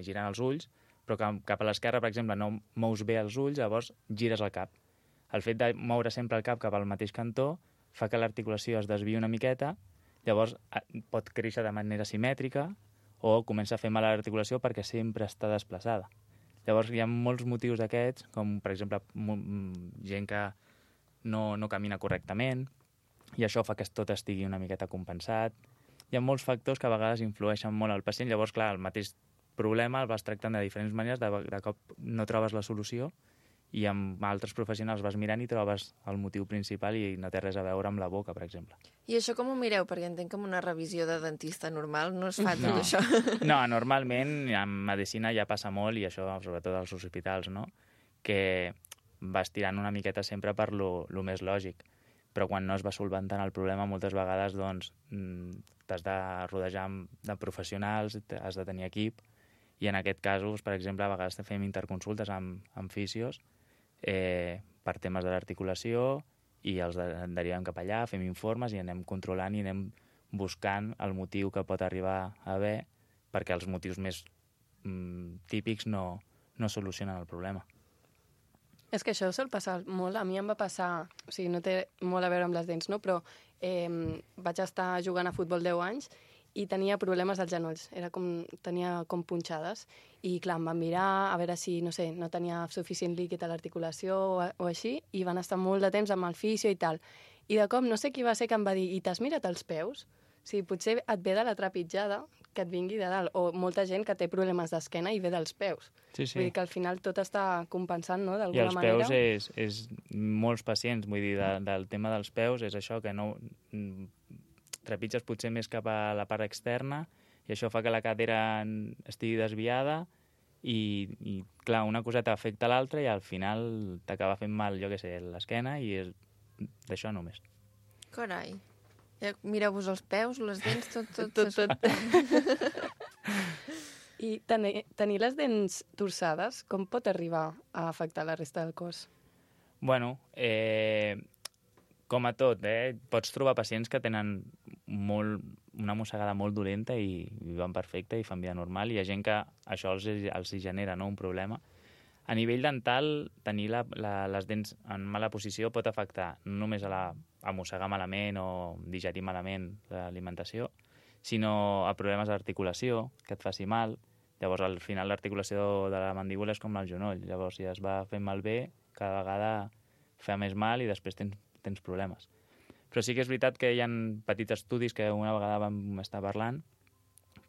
girant els ulls, però cap a l'esquerra, per exemple, no mous bé els ulls, llavors gires el cap. El fet de moure sempre el cap cap al mateix cantó fa que l'articulació es desviï una miqueta, llavors pot créixer de manera simètrica o comença a fer mal a l'articulació perquè sempre està desplaçada. Llavors hi ha molts motius d'aquests, com per exemple gent que no camina correctament, i això fa que tot estigui una miqueta compensat. Hi ha molts factors que a vegades influeixen molt al pacient, llavors, clar, el mateix problema el vas tractant de diferents maneres, de cop no trobes la solució, i amb altres professionals vas mirant i trobes el motiu principal i no té res a veure amb la boca, per exemple. I això com ho mireu? Perquè entenc que amb una revisió de dentista normal no es fa tot això. No, normalment en medicina ja passa molt, i això sobretot als hospitals, no? Que vas tirant una miqueta sempre per lo més lògic. Però quan no es va solventant el problema, moltes vegades t'has de rodejar de professionals, has de tenir equip, i en aquest cas, per exemple, a vegades fem interconsultes amb fisios per temes de l'articulació i els derivem cap allà, fem informes i anem controlant i anem buscant el motiu que pot arribar a haver perquè els motius més típics no solucionen el problema. És que això sol passar molt. A mi em va passar, o sigui, no té molt a veure amb les dents, no? Però vaig estar jugant a futbol 10 anys i tenia problemes als genolls. Tenia com punxades. I, clar, em van mirar a veure si, no sé, no tenia suficient líquid a l'articulació o així, i van estar molt de temps amb el fisio i tal. I de cop, no sé qui va ser que em va dir, i t'has mirat els peus? O sigui, potser et ve de la trepitjada que et vingui de dalt. O molta gent que té problemes d'esquena i ve dels peus. Sí, sí. Vull dir que al final tot està compensant, no?, I d'alguna els manera. peus és molts pacients, vull dir, del tema dels peus és això, que no trepitges potser més cap a la part externa i això fa que la cadera estigui desviada i clar, una coseta afecta l'altra i al final t'acaba fent mal, jo què sé, l'esquena i és d'això només. Carai. Ja mireu-vos els peus, les dents, Tot. I tenir les dents torçades, com pot arribar a afectar la resta del cos? Bueno, com a tot, pots trobar pacients que tenen una mossegada molt dolenta i viuen perfecte i fan vida normal, i hi ha gent que això els genera, no, un problema. A nivell dental, tenir les dents en mala posició pot afectar no només a mossegar malament o digerir malament l'alimentació, sinó a problemes d'articulació, que et faci mal. Llavors, al final, l'articulació de la mandíbula és com el genoll. Llavors, si es va fent malbé, cada vegada fa més mal i després tens problemes. Però sí que és veritat que hi ha petits estudis que una vegada vam estar parlant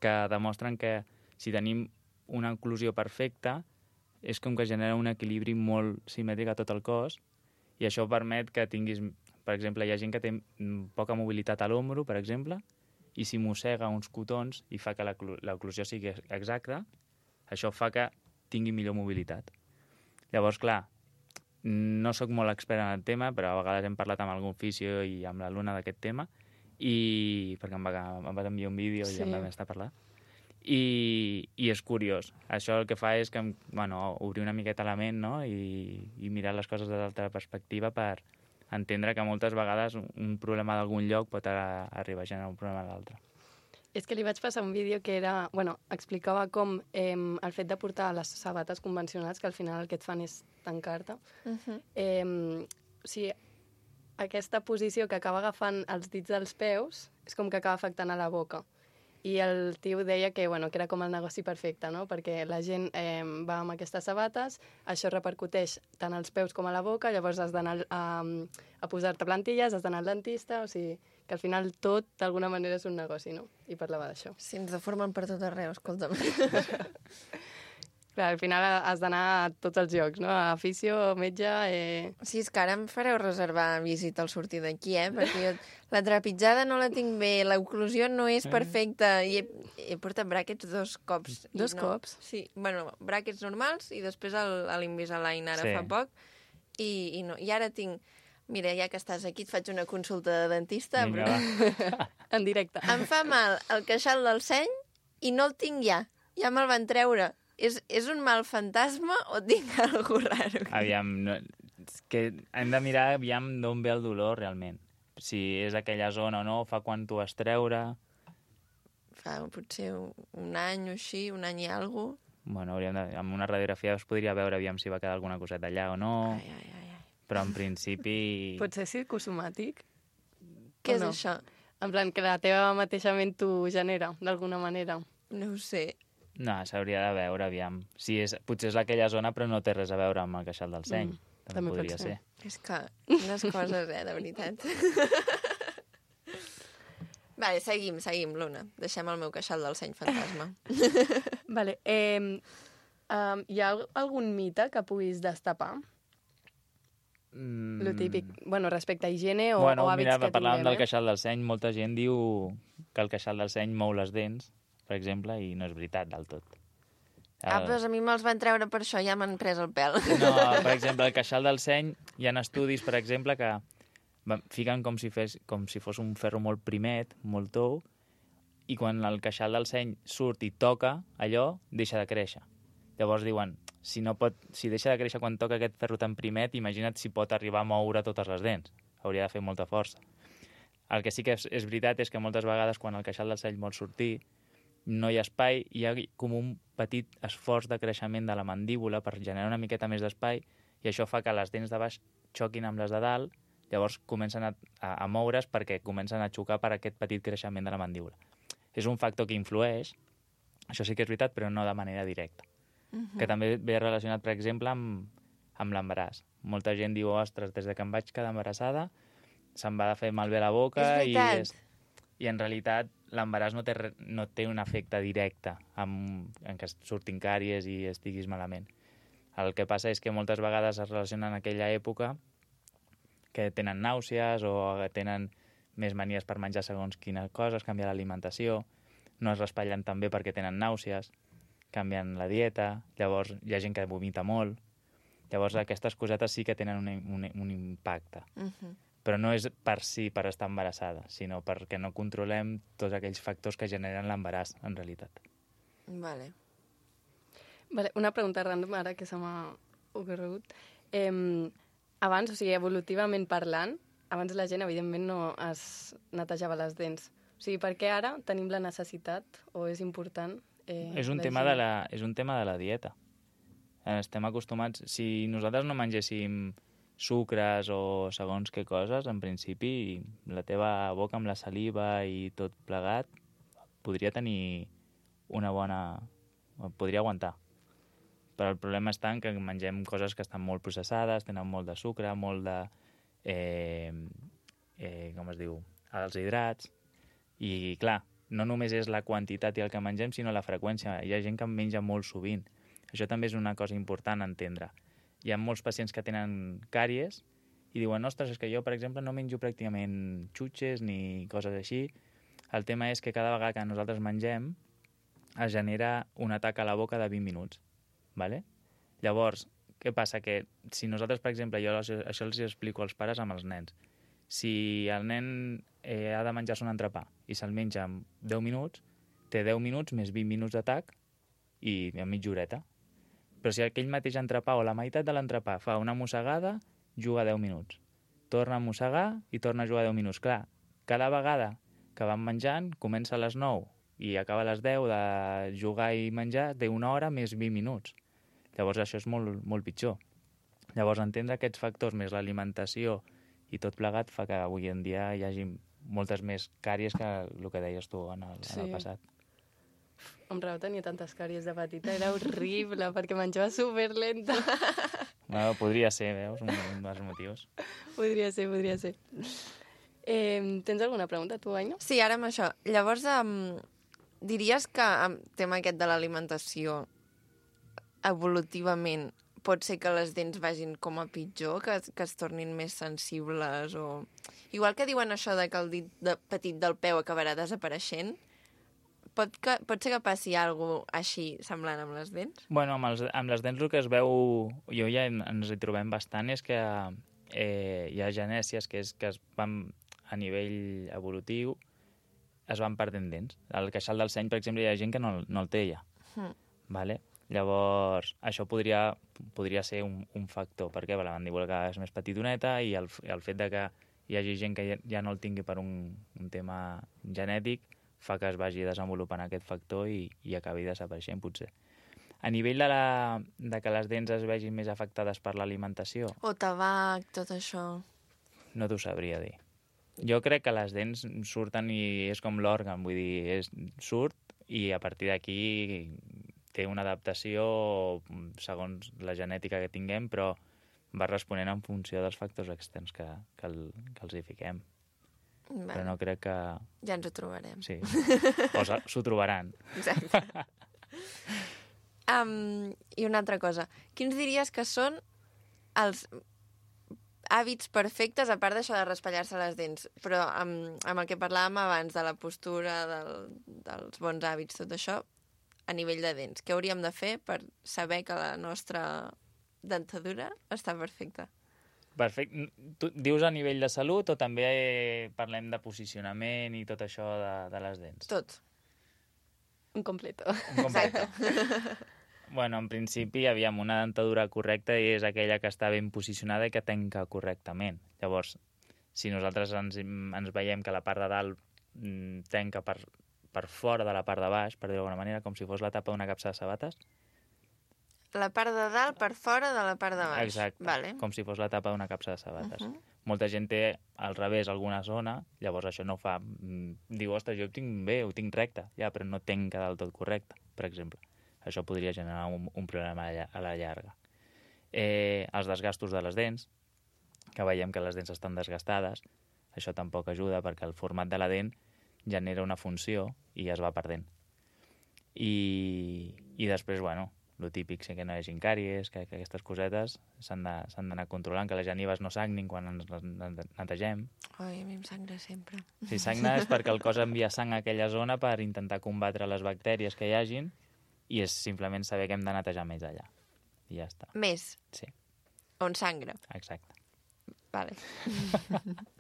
que demostren que si tenim una oclusió perfecta és com que genera un equilibri molt simètric a tot el cos i això permet que tinguis, per exemple, hi ha gent que té poca mobilitat a l'ombro, per exemple, i si mossega uns cotons i fa que l'oclusió sigui exacta, això fa que tingui millor mobilitat. Llavors, clar, no sóc molt expert en el tema, però a vegades hem parlat amb algun fisio i amb l'alumna d'aquest tema, perquè em va enviar un vídeo i ja em vam estar parlant. I és curiós. Això el que fa és que, obrir una miqueta la ment, no? I mirar les coses des d'altra perspectiva per entendre que moltes vegades un problema d'algun lloc pot arribar a generar un problema a l'altre. És que li vaig passar un vídeo que era... explicava com el fet de portar les sabates convencionals, que al final el que et fan és tancar-te. O sigui, aquesta posició que acaba agafant els dits dels peus és com que acaba afectant a la boca. I el tio deia que era com el negoci perfecte, no? Perquè la gent va amb aquestes sabates, això repercuteix tant als peus com a la boca, llavors has d'anar a posar-te plantilles, has d'anar al dentista, o sigui, que al final tot d'alguna manera és un negoci, no? I parlava d'això. Si ens deformen per tot arreu, escolta'm. Clar, al final has d'anar a tots els llocs, no? A afició, metge... Sí, és que ara em fareu reservar visita al sortir d'aquí, perquè jo la trepitjada no la tinc bé, l'oclusió no és perfecta, i he portat bràquets 2 cops. Dos cops? Sí, bràquets normals i després l'Invisalign ara fa poc, i ara tinc... Mira, ja que estàs aquí, et faig una consulta de dentista. Vinga, va. En directe. Em fa mal el queixal del seny i no el tinc ja. Ja me'l van treure. És un mal fantasma o tinc alguna cosa raro? Aviam, és que hem de mirar d'on ve el dolor realment. Si és aquella zona o no, fa quan t'ho vas treure... Fa potser un any o així, un any i alguna cosa. Amb una radiografia es podria veure si va quedar alguna coseta allà o no. Però en principi... Pot ser psicosomàtic? Què és això? En plan, que la teva mateixa ment t'ho genera, d'alguna manera. No ho sé. No, s'hauria de veure, potser és aquella zona, però no té res a veure amb el queixal del seny. També podria ser. És que unes coses, de veritat. Vale, seguim, Luna. Deixem el meu queixal del seny fantasma. Vale, hi ha algun mite que puguis destapar? Lo típic, respecte a higiene o hàbits que tinguem. Parlàvem del queixal del seny, molta gent diu que el queixal del seny mou les dents, per exemple, i no és veritat del tot. Però a mi me'ls van treure per això, ja m'han pres el pèl. No, per exemple, el queixal del seny, hi ha estudis, per exemple, que fiquen com si fos un ferro molt primet, molt tou, i quan el queixal del seny surt i toca allò, deixa de créixer. Llavors diuen, si deixa de créixer quan toca aquest ferro tan primet, imagina't si pot arribar a moure totes les dents. Hauria de fer molta força. El que sí que és veritat és que moltes vegades quan el queixal del seny vol sortir, no hi ha espai, hi ha com un petit esforç de creixement de la mandíbula per generar una miqueta més d'espai, i això fa que les dents de baix xoquin amb les de dalt, llavors comencen a moure's perquè comencen a xocar per aquest petit creixement de la mandíbula. És un factor que influeix, això sí que és veritat, però no de manera directa. Que també ve relacionat, per exemple, amb l'embaràs. Molta gent diu, ostres, des que em vaig quedar embarassada, se'm va fer malbé la boca... És veritat. I en realitat l'embaràs no té un efecte directe en què surtin càries i estiguis malament. El que passa és que moltes vegades es relacionen en aquella època que tenen nàusees o tenen més manies per menjar segons quines coses, canviar l'alimentació, no es raspallen tan bé perquè tenen nàusees, canvien la dieta, llavors hi ha gent que vomita molt, llavors aquestes cosetes sí que tenen un impacte. Però no és per estar embarassada, sinó perquè no controlem tots aquells factors que generen l'embaràs, en realitat. Vale, una pregunta random ara que se m'ha ocorregut. Abans, o sigui, evolutivament parlant, abans la gent, evidentment, no es netejava les dents. O sigui, per què ara tenim la necessitat, o és important? És un tema de la dieta. Estem acostumats... Si nosaltres no mengéssim sucres o segons què coses, en principi la teva boca amb la saliva i tot plegat podria tenir una bona... podria aguantar. Però el problema està en que mengem coses que estan molt processades, tenen molt de sucre, molt de... com es diu? Els hidrats. I, clar, no només és la quantitat i el que mengem, sinó la freqüència. Hi ha gent que menja molt sovint. Això també és una cosa important a entendre. Hi ha molts pacients que tenen càries i diuen, ostres, és que jo, per exemple, no menjo pràcticament xutxes ni coses així. El tema és que cada vegada que nosaltres mengem es genera un atac a la boca de 20 minuts. ¿Vale? Llavors, què passa? Que si nosaltres, per exemple, jo això els explico als pares amb els nens. Si el nen ha de menjar-se un entrepà i se'l menja en 10 minuts, té 10 minuts més 20 minuts d'atac i a mitja horeta. Però si aquell mateix entrepà o la meitat de l'entrepà fa una mossegada, juga 10 minuts. Torna a mossegar i torna a jugar 10 minuts. Clar, cada vegada que van menjant, comença a les 9 i acaba a les 10 de jugar i menjar, té una hora més 20 minuts. Llavors això és molt, molt pitjor. Llavors entendre aquests factors més l'alimentació i tot plegat fa que avui en dia hi hagi moltes més càries que el que deies tu en el passat. Amb raó tenia tantes càries de petita, era horrible, perquè menjava superlenta. Bueno, podria ser, veus, un dels motius. Podria ser. Tens alguna pregunta, tu, Aina? Sí, ara amb això. Llavors, diries que amb tema aquest de l'alimentació, evolutivament, pot ser que les dents vagin com a pitjor, que es tornin més sensibles o... Igual que diuen això de que el dit petit del peu acabarà desapareixent, pot ser que passi alguna cosa així semblant amb les dents? Bueno, amb les dents el que es veu, jo ja ens hi trobem bastant, és que hi ha genèsies que es van, a nivell evolutiu, es van perdent dents. El queixal del seny, per exemple, hi ha gent que no el té ja. Vale? Llavors, això podria ser un factor, perquè la mandíbula cada vegada és més petitoneta i el fet de que hi hagi gent que ja no el tingui per un tema genètic fa que es vagi desenvolupant aquest factor i acabi desapareixent, potser. A nivell de que les dents es vegin més afectades per l'alimentació... O tabac, tot això... No t'ho sabria dir. Jo crec que les dents surten i és com l'òrgan, vull dir, surt i a partir d'aquí té una adaptació segons la genètica que tinguem, però va responent en funció dels factors externs que els hi fiquem. Vale. Però no crec que... Ja ens ho trobarem. Sí, o s'ho trobaran. Exacte. I una altra cosa. Quins diries que són els hàbits perfectes, a part d'això de raspallar-se les dents, però amb el que parlàvem abans, de la postura, dels bons hàbits, tot això, a nivell de dents? Què hauríem de fer per saber que la nostra dentadura està perfecta? Perfecte. Tu dius a nivell de salut o també parlem de posicionament i tot això de les dents? Tot. Un completo. Exacte. Bueno, en principi, aviam, una dentadura correcta és aquella que està ben posicionada i que tanca correctament. Llavors, si nosaltres ens veiem que la part de dalt tanca per fora de la part de baix, per dir-ho d'alguna manera, com si fos la tapa d'una capsa de sabates. La part de dalt per fora de la part de baix. Exacte, vale. Com si fos la tapa d'una capsa de sabates. Molta gent té al revés alguna zona, llavors això no fa... Diu, ostres, jo ho tinc bé, ho tinc recte, ja, però no tanca del tot correcte, per exemple. Això podria generar un problema a la llarga. Els desgastos de les dents, que veiem que les dents estan desgastades, això tampoc ajuda perquè el format de la dent genera una funció i es va perdent. I després, bueno, lo típic, sí que no hi hagi càries, que aquestes cosetes s'han d'anar controlant, que les genives no sagnin quan ens netegem. Ai, a mi em sangra sempre. Si sagna és perquè el cos envia sang a aquella zona per intentar combatre les bactèries que hi hagin i és simplement saber que hem de netejar més allà. I ja està. Més? Sí. On sangra? Exacte. Vale.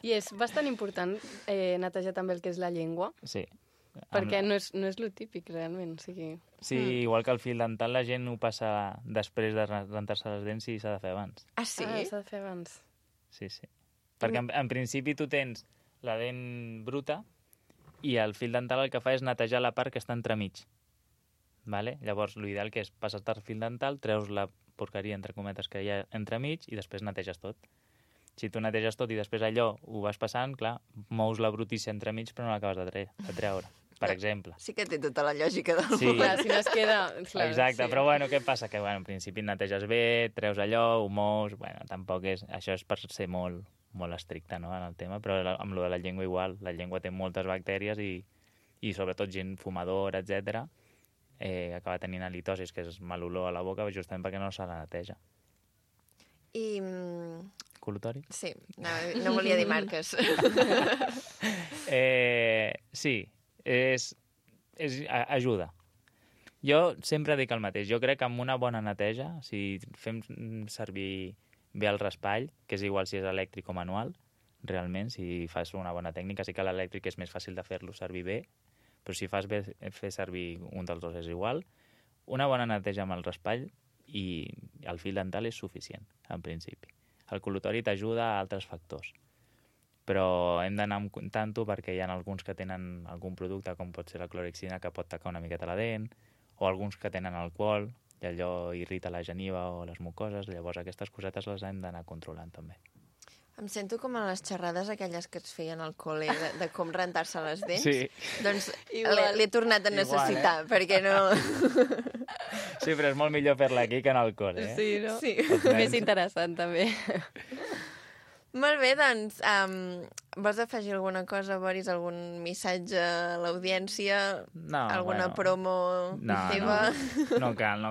I és bastant important netejar també el que és la llengua. Sí. Perquè no és lo típic, realment. O sigui... Sí, igual que el fil dental, la gent ho passa després de rentar-se les dents i s'ha de fer abans. Ah, sí? Ah, s'ha de fer abans. Sí, sí. Perquè en principi tu tens la dent bruta i el fil dental el que fa és netejar la part que està entremig. Vale? Llavors, l'ideal que és passar-te el fil dental, treus la porqueria, entre cometes, que hi ha entremig i després neteges tot. Si tu neteges tot i després allò ho vas passant, clar, mous la brutícia entremig però no l'acabes de treure, per exemple. Sí que té tota la lògica del Sí. Clar, si no es queda... Clar, Exacte, sí. però bueno, què passa? Que en principi neteges bé, treus allò, ho mous... Bueno, tampoc és... Això és per ser molt, molt estricte, no?, en el tema, però amb lo de la llengua igual. La llengua té moltes bactèries i sobretot gent fumadora, etc. Acaba tenint halitosis, que és mal olor a la boca, justament perquè no se la neteja. I... Col·lutori? Sí, no volia dir marques. Sí, ajuda. Jo sempre dic el mateix. Jo crec que amb una bona neteja, si fem servir bé el raspall, que és igual si és elèctric o manual, realment, si fas una bona tècnica, sí que l'elèctric és més fàcil de fer-lo servir bé, però si fas bé fer servir un dels dos és igual. Una bona neteja amb el raspall i el fil dental és suficient, en principi. El col·lutori t'ajuda a altres factors, però hem d'anar amb comptant-ho perquè hi ha alguns que tenen algun producte, com pot ser la clorexina, que pot tacar una miqueta la dent, o alguns que tenen alcohol, i allò irrita la geniva o les mucoses, llavors aquestes cosetes les hem d'anar controlant també. Em sento com a les xerrades aquelles que es feien al col·le de com rentar-se les dents. Sí. Doncs l'he tornat a necessitar, perquè no... Sí, però és molt millor fer-la aquí que en el col·le, eh? Sí, no? Sí. Més interessant, també. Molt bé, doncs, vols afegir alguna cosa, Boris? Algun missatge a l'audiència? No, alguna bueno, promo teva? No cal.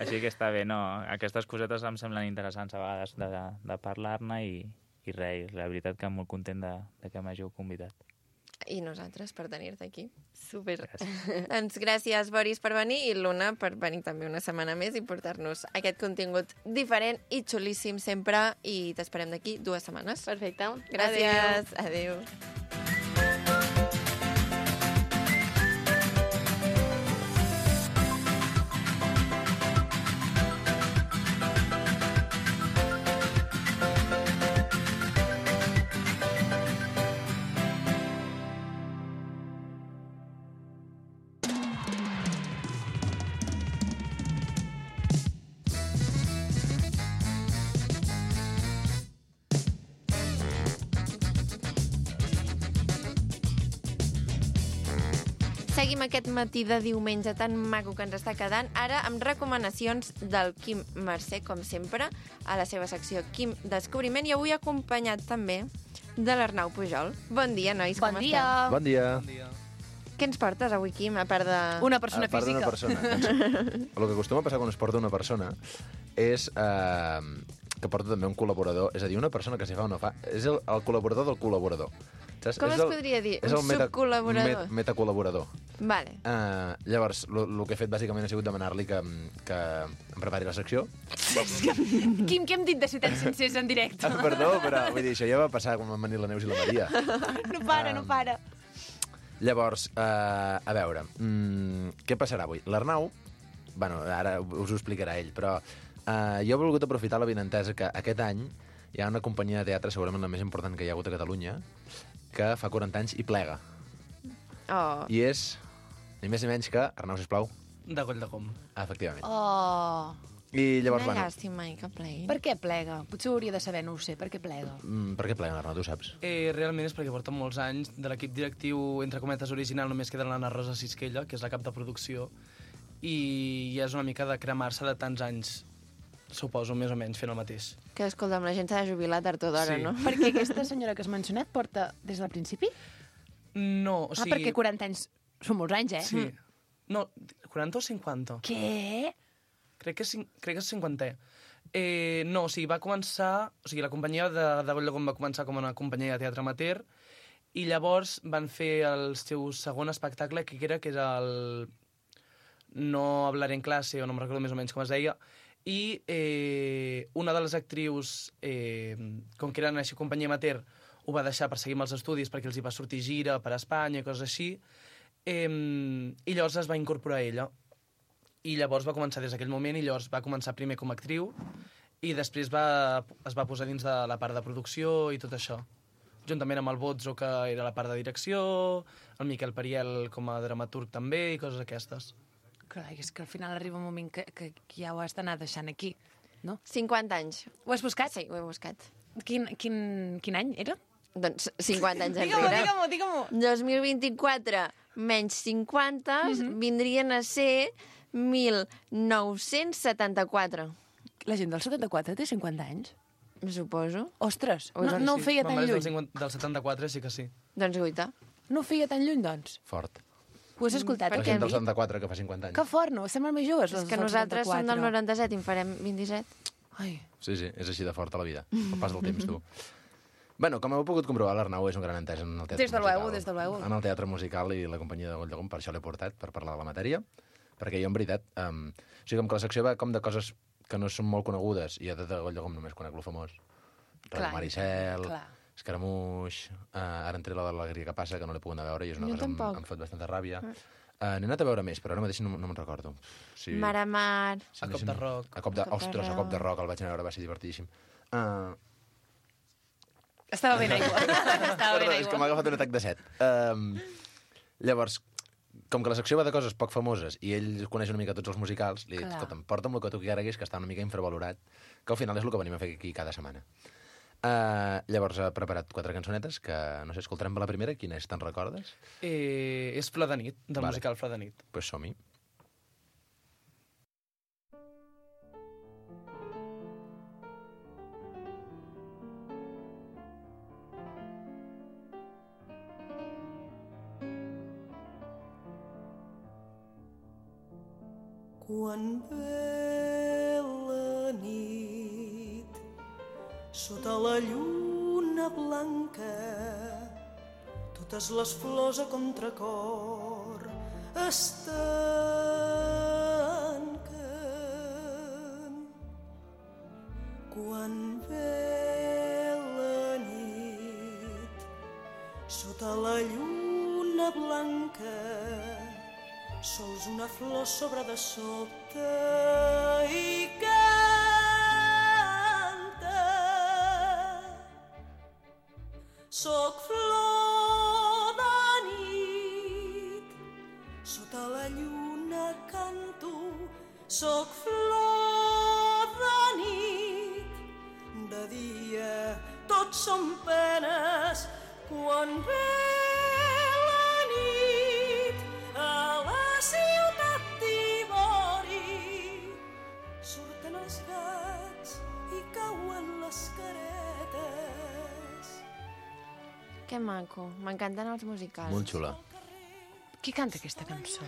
Així que està bé, no? Aquestes cosetes em semblen interessants a vegades de parlar-ne i res, la veritat que molt content de que m'hàgiu convidat. I nosaltres per tenir-te aquí. Super. Doncs gràcies, Boris, per venir, i Luna per venir també una setmana més i portar-nos aquest contingut diferent i xulíssim sempre, i t'esperem d'aquí 2 setmanes. Perfecte. Gràcies. Adéu. Seguim aquest matí de diumenge tan maco que ens està quedant, ara amb recomanacions del Quim Mercè, com sempre, a la seva secció Quim Descobriment, i avui acompanyat també de l'Arnau Pujol. Bon dia, nois, com esteu? Bon dia. Què ens portes avui, Quim, a part de... Una persona A part d'una física. persona. El que acostuma a passar quan es porta una persona és que porta també un col·laborador, és a dir, una persona que s'hi fa o no fa, és el col·laborador del col·laborador. Saps? Com es podria dir? Un subcol·laborador? Metacol·laborador. Vale. Llavors, el que he fet bàsicament ha sigut demanar-li que em prepari la secció. Quim, què hem dit de ciutats sencers en directe? Perdó, però vull dir, això ja va passar quan van venir la Neus i la Maria. No para. Llavors, a veure, què passarà avui? L'Arnau, bueno, ara us ho explicarà ell, però jo he volgut aprofitar la benentesa que aquest any hi ha una companyia de teatre, segurament la més important que hi ha hagut a Catalunya, que fa 40 anys i plega. Oh. I és, ni més ni menys que, Arnau, sisplau. De Coll de Com. Efectivament. Oh. I llavors, Una bueno... llàstima, que plegui. Per què plega? Potser ho hauria de saber, no ho sé. Per què plega? Per què pleguen, Arnau, tu saps? Realment és perquè porten molts anys de l'equip directiu, entre cometes, original, només queda l'Anna Rosa Sisquella, que és la cap de producció, i ja és una mica de cremar-se de tants anys, suposo, més o menys, fent el mateix. Que, escolta'm, la gent s'ha de jubilar tard o d'hora, Sí. no? Perquè aquesta senyora que has mencionat porta des del principi? No, o sigui... perquè 40 anys són molts anys, eh? Sí. No, 40 o 50? Què? Crec que és 50è. No, o sigui, va començar... O sigui, la companyia de Coll de Com va començar com una companyia de teatre amateur, i llavors van fer el seu segon espectacle, que era el No hablaré en clase, o no me'n recordo més o menys com es deia, i una de les actrius, com que eren així companyia amateur, ho va deixar per seguir amb els estudis perquè els hi va sortir gira per Espanya i coses així, i llavors es va incorporar ella. I llavors va començar des d'aquell moment, i llavors va començar primer com a actriu, i després es va posar dins de la part de producció i tot això. Juntament amb el Bozzo, que era la part de direcció, el Miquel Pariel com a dramaturg també, i coses aquestes. Clar, és que al final arriba un moment que ja ho has d'anar deixant aquí, no? 50 anys. Ho has buscat? Sí, ho he buscat. Quin any era? Doncs 50 anys Digue-m'ho, enrere. digue-m'ho. 2024 menys 50 vindrien a ser 1974. La gent del 74 té 50 anys? Suposo. Ostres, Ui, doncs no ho sí. feia tan lluny. Del 74 sí que sí. Doncs guaita. No ho feia tan lluny, doncs. Fort. Ho has escoltat? La gent del 74 que fa 50 anys. Que fort, no? Semblen més joves, És que nosaltres som del 97 i en farem 27. Ai. Sí, és així de forta la vida. El pas del temps, tu. Bueno, com heu pogut comprovar, l'Arnau és un gran entès en el teatre Des de musical. luego, des de luego. En el teatre musical i la companyia de Coll de Com, per això l'he portat, per parlar de la matèria, perquè jo, en veritat, o sigui, com que la secció va com de coses que no són molt conegudes, i a tot de Coll de Com només conec lo famós. Radio Clar, Maricel, clar. Escaramuix, ara entré la de l'Alegria que passa, que no l'he pogut anar a veure, i és una Jo cosa que tampoc. em fot bastanta ràbia. N'he anat a veure més, però ara mateix no me'n recordo. Sí. Mar a mar. Sí, A Cop de Roc. Ostres, a Cop de Roc el vaig anar a veure, va ser divertidíssim. Estava ben aigua. Estava ben Perdó, és que m'ha aigua. agafat un atac de set. Llavors, com que la secció va de coses poc famoses i ell coneix una mica tots els musicals, li he dit, Clar. escolta'm, porta'm el que tu quieres, que està una mica infravalorat, que al final és el que venim a fer aquí cada setmana. Llavors ha preparat 4 cançonetes que, no sé, escoltarem la primera. Quina és, te'n recordes? És Flor de nit, del musical Flor de nit. Doncs pues som-hi. Quan ve la nit, sota la lluna blanca, totes les flors a contracor es tanquen. Quan ve la nit, sota la lluna blanca, sols una flor sobre de sobte i canta. Soc flor de nit, sota la lluna canto. Soc flor de nit, de dia tots són penes. Quan ve la nit a la ciutat d'Ivori, surten els gats i cauen les caretes. Que maco. M'encanten els musicals. Molt xula. Qui canta aquesta cançó?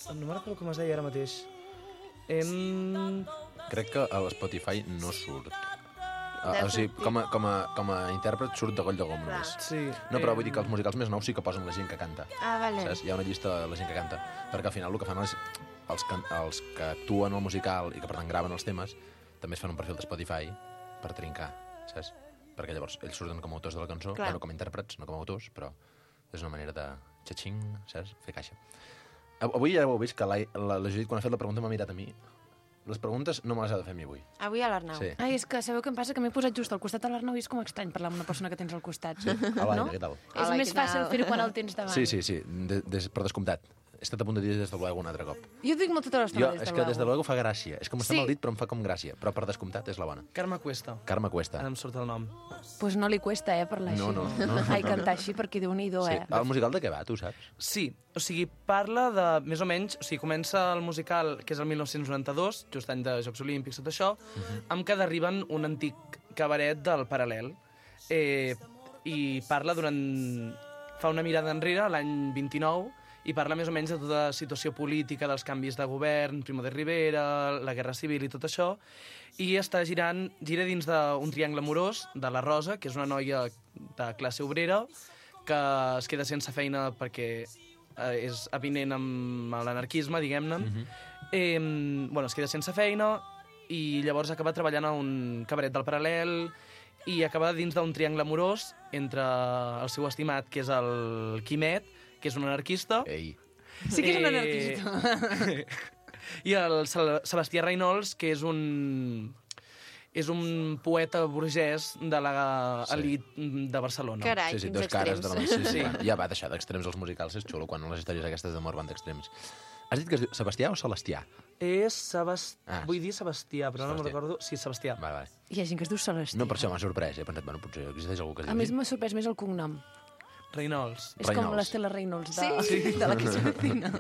No me'n recordo com es deia ara mateix. Crec que a l'Spotify no surt. Deu O sigui, sortir. com a intèrpret surt de Goll de Gom només. Sí. No, però vull dir que els musicals més nous sí que posen la gent que canta. Ah, vale. Saps? Hi ha una llista de la gent que canta. Perquè al final el que fan és els que actuen al musical i que per tant graven els temes també es fan un perfil de Spotify per trincar, saps? Perquè llavors ells surten com a autors de la cançó, Clar. bueno, com a intèrprets, no com a autors, però és una manera de xatxing, saps? Fer caixa. Avui ja ho heu vist que la Judit, quan ha fet la pregunta, m'ha mirat a mi. Les preguntes no me les ha de fer a mi avui. Avui a l'Arnau. Sí. Ai, és que sabeu què em passa? Que m'he posat just al costat de l'Arnau i és com estrany parlar amb una persona que tens al costat. Hola, no? què tal? És Hola, més què fàcil tal? fer-ho quan el tens davant. Sí, per descomptat. He estat a punt de dir des de luego un altre cop. Jo dic molt tota l'estona És que des de luego fa gràcia. És com està Sí. mal dit, però em fa com gràcia. Però per descomptat és la bona. Carme Cuesta. Carme Cuesta. Ara em surt el nom. Pues no li cuesta, parlar així. No. Ai, cantar així, perquè Déu-n'hi-do, Sí. El musical de què va, tu saps? Sí, o sigui, parla de, més o menys, o sigui, comença el musical, que és el 1992, just any de Jocs Olímpics, tot això, amb que derriben un antic cabaret del Paral·lel, i parla fa una mirada enrere, l'any 29, i parla més o menys de tota la situació política, dels canvis de govern, Primo de Rivera, la Guerra Civil i tot això, i gira dins d'un triangle amorós de la Rosa, que és una noia de classe obrera, que es queda sense feina perquè és avinent amb l'anarquisme, diguem-ne. Es queda sense feina i llavors acaba treballant a un cabaret del Paral·lel i acaba dins d'un triangle amorós entre el seu estimat, que és el Quimet, que és un anarquista. Ei. Sí que és un anarquista. I el Sebastià Reynolds, que és un poeta burgès de l'elit de Barcelona. Carai, Sí, quins dos cares de la extrems. sí. Ja va deixar d'extrems els musicals, és xulo, quan les històries aquestes d'amor van d'extrems. Has dit que es diu Sebastià o Celestià? Vull dir Sebastià, però no me'n Sebastià. recordo. Sí, Sebastià. Vale. Hi ha gent que es diu Celestí. No, per això m'ha sorprès. He pensat, bueno, potser existeix algú que es A diu més, així. m'ha sorprès més el cognom. Reynolds. És com l'Estela Reynolds Sí. de la que se vecina.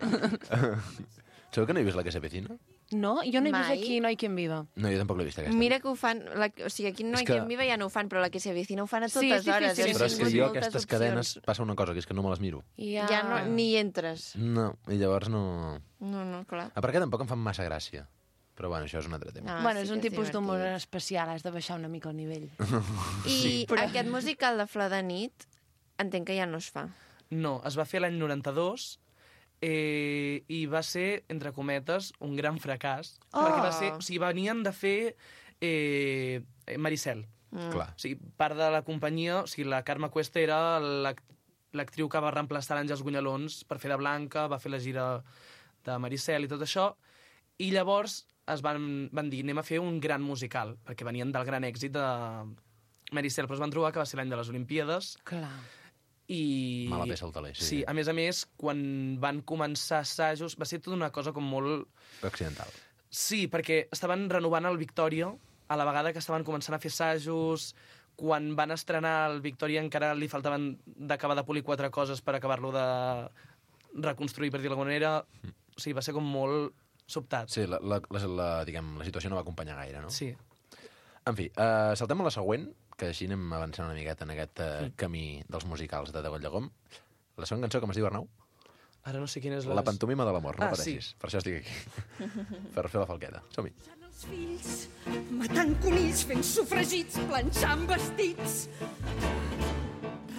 Sabeu que no he vist la que se vecina? No? Jo no he vist Mai. aquí No hay quien viva. No, jo tampoc l'he vist, aquesta. Mira que ho fan... O sigui, aquí no És hi que- que... viva ja no ho fan, però la que se avecina ho fan a Sí, totes és hores. difícil. Hem Però és que tingut jo moltes aquestes opcions. cadenes passa una cosa, que és que no me les miro. Ja no, ni hi entres. No, i llavors no... No, clar. A part que tampoc em fan massa gràcia. Però bueno, això és un altre tema. Ah, Bueno, sí és un que és tipus d'humor divertit. especial, has de baixar una mica el nivell. I aquest musical de Flor de nit entenc que ja no es fa. No, es va fer l'any 92 i va ser, entre cometes, un gran fracàs. Oh! Perquè va ser... O sigui, venien de fer Maricel. Clar. O sigui, part de la companyia, o sigui, la Carme Cuesta era l'actriu que va reemplaçar l'Àngels Gunyalons per fer de Blanca, va fer la gira de Maricel i tot això, i llavors es van dir, anem a fer un gran musical, perquè venien del gran èxit de Maricel, però es van trobar que va ser l'any de les Olimpíades. Clar. I... Mala peça al taler, sí. Sí, a més, quan van començar assajos, va ser tota una cosa com molt... Accidental. Sí, perquè estaven renovant el Victòria, a la vegada que estaven començant a fer assajos. Quan van estrenar el Victòria encara li faltaven d'acabar de polir 4 coses per acabar-lo de reconstruir, per dir-ho d'alguna manera. O sigui, va ser com molt sobtat. Sí, diguem, la situació no va acompanyar gaire, no? Sí. En fi, saltem a la següent, que així anem avançant una miqueta en aquest camí dels musicals de Degoll de Gom. La següent cançó, com es diu, Arnau? Ara no sé quina és La pantomima de l'amor, no pateixis. Sí. Per això estic aquí. Per fer la falqueta. Som-hi. Els fills, matant conills, fent sofregits, planxant vestits,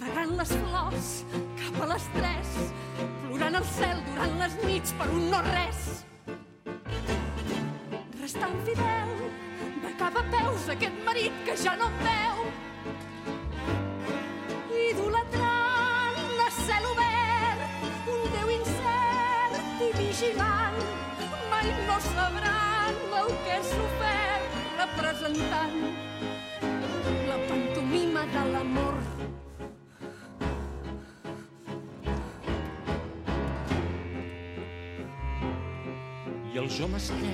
regant les flors cap a les 3, plorant al cel durant les nits per un no res. Restant fidel, de cap a peus, aquest marit que ja no em veu. Idolatrant a cel obert, un Déu incert i vigilant, mai no sabran el que és sofert representant la pantomima de l'amor. I els homes què?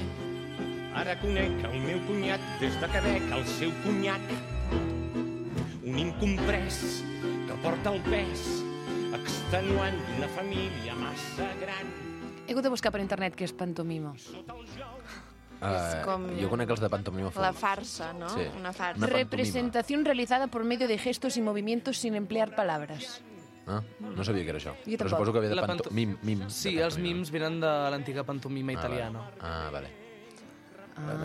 Ara conec el meu cunyat des de Quebec, el seu conyac. Un incomprès que porta el pes extenuant d'una família massa gran. He hagut de buscar per internet què és pantomima. com Jo conec els de pantomima. la farsa, no? Sí. Una farsa. Una pantomima. Representación realizada por medio de gestos y movimientos sin emplear palabras. Ah, no sabia que era això. Jo Però tampoc. suposo que ve de La panto- mim. Sí, els mims venen de l'antiga pantomima italiana. Vale.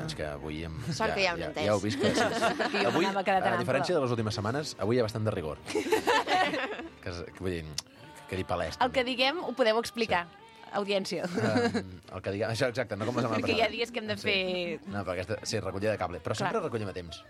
És que avui... Sort que ja ho he entès. Ja ho he vist que... Perquè jo Avui, m'anava quedant a ample. diferència de les últimes setmanes, avui hi ha bastant de rigor. que vull dir, que dir palès. El que diguem ho podeu explicar, audiència. El que diguem... Això, exacte, no com la setmana Perquè hi ha passada. dies que hem de fer... No, però aquesta... Sí, recollida de cable. Però sempre recollim a temps.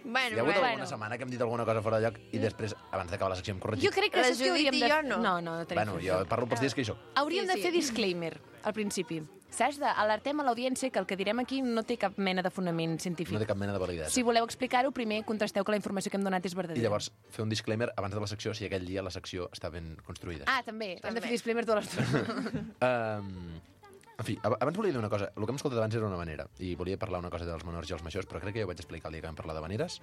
Bueno, Hi ha hagut alguna setmana que hem dit alguna cosa fora de lloc i després, abans d'acabar la secció, hem corregit. Jo crec que saps què hauríem de... jo no. No tenim Bueno, jo parlo pels dies que hi soc. Hauríem de fer disclaimer al principi. Saps? Alertem a l'audiència que el que direm aquí no té cap mena de fonament científic. No té cap mena de validesa. Si voleu explicar-ho, primer contrasteu que la informació que hem donat és I verdadera. llavors, fer un disclaimer abans de la secció si aquell dia la secció està ben construïda. Ah, també. Hem de fer disclaimer tota l'estona. En fi, abans volia dir una cosa. El que hem escoltat abans era una manera, i volia parlar una cosa dels menors i els majors, però crec que ja ho vaig explicar el dia que vam parlar de maneres.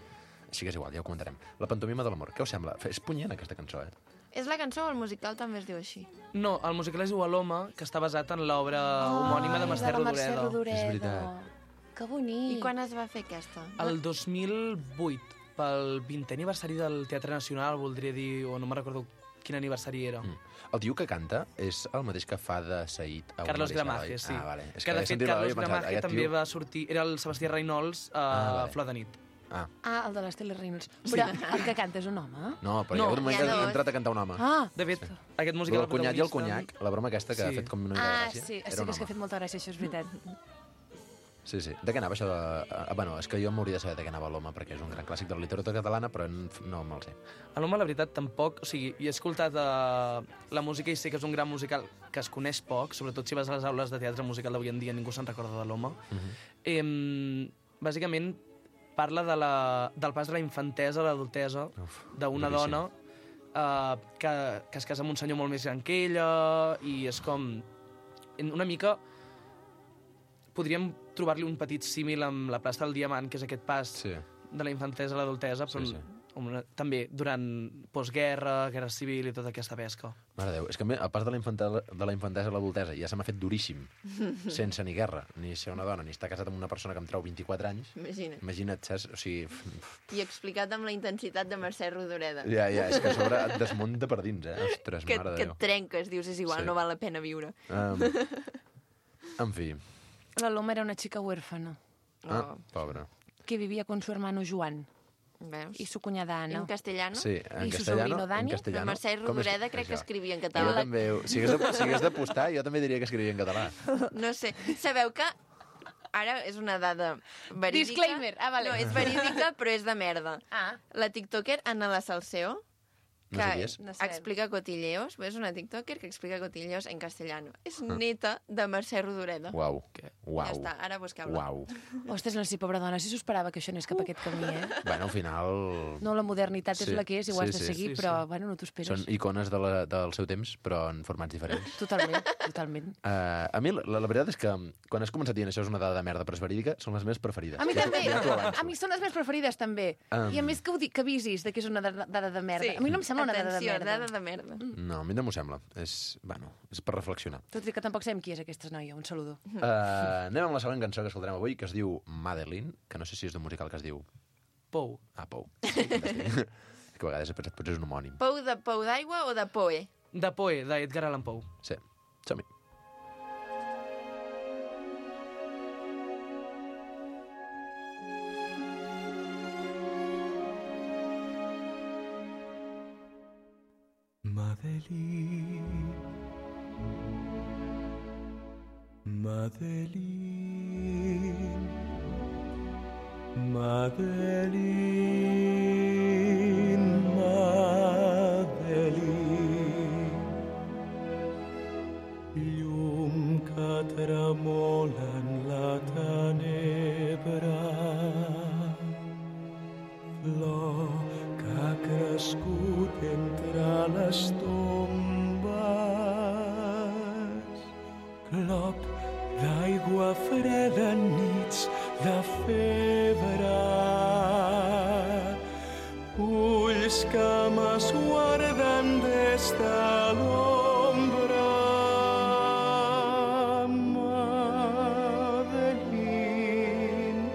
Així que és igual, ja ho comentarem. La pantomima de l'amor. Què us sembla? És punyent, aquesta cançó, eh? És la cançó o el musical també es diu així? No, el musical es diu Aloma, que està basat en l'obra homònima de Mercè Rodoreda. És veritat. Que bonic. I quan es va fer aquesta? El 2008, pel 20è aniversari del Teatre Nacional, voldria dir, o no me'n recordo quin aniversari era. El tio que canta és el mateix que fa de Said a Carlos Una Gramaje, Odissea, sí. Ah, vale. És Que de he fet sentit la veu i he Carlos pensat, Gramaje aquest també tio- va sortir... Era el Sebastià Reynolds a vale. Flor de Nit. Ah. Ah, el de l'Estela Reynolds. Però el que canta és un home? No, però hi ha hagut un moment que ha entrat a cantar un home. Ah. De fet, aquest Lo musical... del cunyat i el conyac, la broma aquesta que ha fet com una mica de Ah, gràcia, sí, era sí un que és que ha home. fet molta gràcia, això és veritat. Sí. De què anava això de... Bueno, és que jo m'hauria de saber de què anava l'home, perquè és un gran clàssic de la literatura catalana, però no me'l sé. A l'home, la veritat, tampoc... O sigui, he escoltat la música i sé que és un gran musical que es coneix poc, sobretot si vas a les aules de teatre musical d'avui en dia, ningú se'n recorda de l'home. Bàsicament, parla del pas de la infantesa a l'adultesa d'una dona que es casa amb un senyor molt més gran que ella i és com... Una mica... Podríem trobar-li un petit símil amb la plaça del Diamant, que és aquest pas de la infantesa a l'adultesa, però també durant postguerra, guerra civil i tota aquesta pesca. Mare de Déu, és que a mi, el pas de la infantesa a l'adultesa ja se m'ha fet duríssim, sense ni guerra, ni ser una dona, ni estar casat amb una persona que em treu 24 anys. Imagina't, saps? O sigui... I explicat amb la intensitat de Mercè Rodoreda. Ja, és que a sobre et desmunta per dins, eh? Ostres, que mare de et Déu. trenques, dius, és igual, no val la pena viure. En fi. La Loma era una chica huérfana. Pobra. Que vivía con su hermano Joan. ¿Veus? Y su cuñada Ana. En castellano? Sí, en I su castellano. sobrino Dani. En castellano. Però Mercè Rodoreda crec que escrivia en Jo català. també, si hagués d'apostar, jo també diria que escrivia en català. No sé. Sabeu que ara és una dada verídica. Disclaimer, vale. No, és verídica, però és de merda. La tiktoker Ana La Salseo, No sé qui és. explica cotilleos, és una tiktoker que explica cotilleos en castellano. És neta de Mercè Rodoreda. Uau. Ja està, ara busqueu-la. Uau. Ostres, no sé, pobra dona, si s'ho esperava que això anés cap a aquest camí, Bueno, al final... No, la modernitat és la que és i ho has de seguir, però, bueno, no t'ho esperes. Són icones del seu temps, però en formats diferents. Totalment. A mi, la veritat és que quan has començat dient això és una dada de merda, però és verídica, són les més preferides. A mi també. Ja t'ho avanço. A mi són les més preferides, també. I a més que que avisis que és una dada de merda. Sí. A mi no em sembla una dada de Atenció, merda. dada de merda. No, a mi no m'ho sembla. És per reflexionar. Tot i que tampoc sabem qui és aquesta noia. Un saludo. Anem amb la següent cançó que escoltarem avui, que es diu Madeline, que no sé si és d'un musical que es diu... Pou. Pou. Que a vegades he pensat, potser és un homònim. Pou d'aigua o de Poe? De Poe, d'Edgar Allan Poe. Sí, som-hi. Madeline, Madeline, Madeline, Madeline, llum que tremola en la tenebra, flor que ha crescut entre les tombes, clop d'aigua freda en nits de febre, ulls que m'esguarden des de l'ombra. Madeline,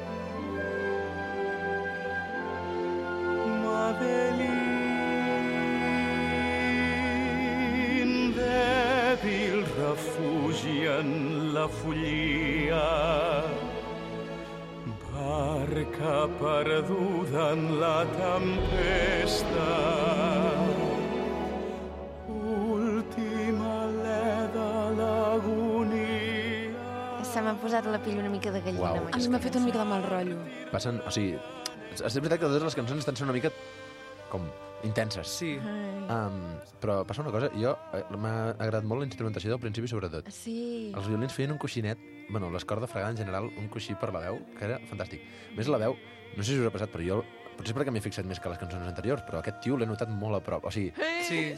Madeline, dèbil refugi en la follia, barca perduda en la tempesta, última alè de l'agonia. Se m'ha posat la pell una mica de gallina. Uau. amb A mi m'ha fet una mica de mal rotllo. Passen, o sigui, és veritat que totes les cançons estan sent una mica com intenses. Sí. Però passa una cosa, m'ha agradat molt la instrumentació del principi sobretot. Sí. Els violins feien un coixinet, bueno, les cordes fregades en general, un coixí per la veu, que era fantàstic. A més, la veu, no sé si us ha passat, però jo, potser perquè m'he fixat més que les cançons anteriors, però aquest tio l'he notat molt a prop. O sigui,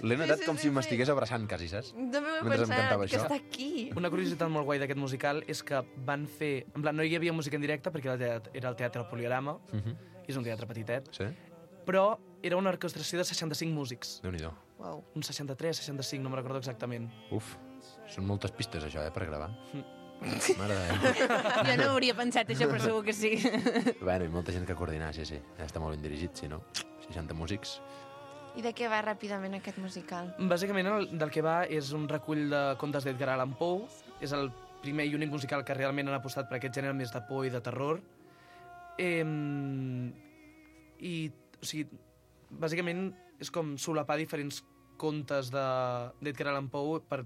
l'he notat com si m'estigués abraçant quasi, saps? També ho he Mentre em pensat, cantava que això. està aquí. Una curiositat molt guai d'aquest musical és que van fer... En plan, no hi havia música en directe perquè era el Teatre Poliorama, i és un teatre petitet, Sí? però era una orquestració de 65 músics. Déu-n'hi-do. Wow. Un 63, 65, no me'n recordo exactament. Uf, són moltes pistes, això, per gravar. Mare de Déu. Jo no ho hauria pensat, això, però segur que sí. Bueno, i molta gent que coordinar, sí. Està molt ben dirigit, si no? 60 músics. I de què va ràpidament aquest musical? Bàsicament del que va és un recull de contes d'Edgar Allan Poe. És el primer i únic musical que realment han apostat per aquest gènere més de por i de terror. O sigui, bàsicament és com solapar diferents contes d'Edgar Allan Poe per...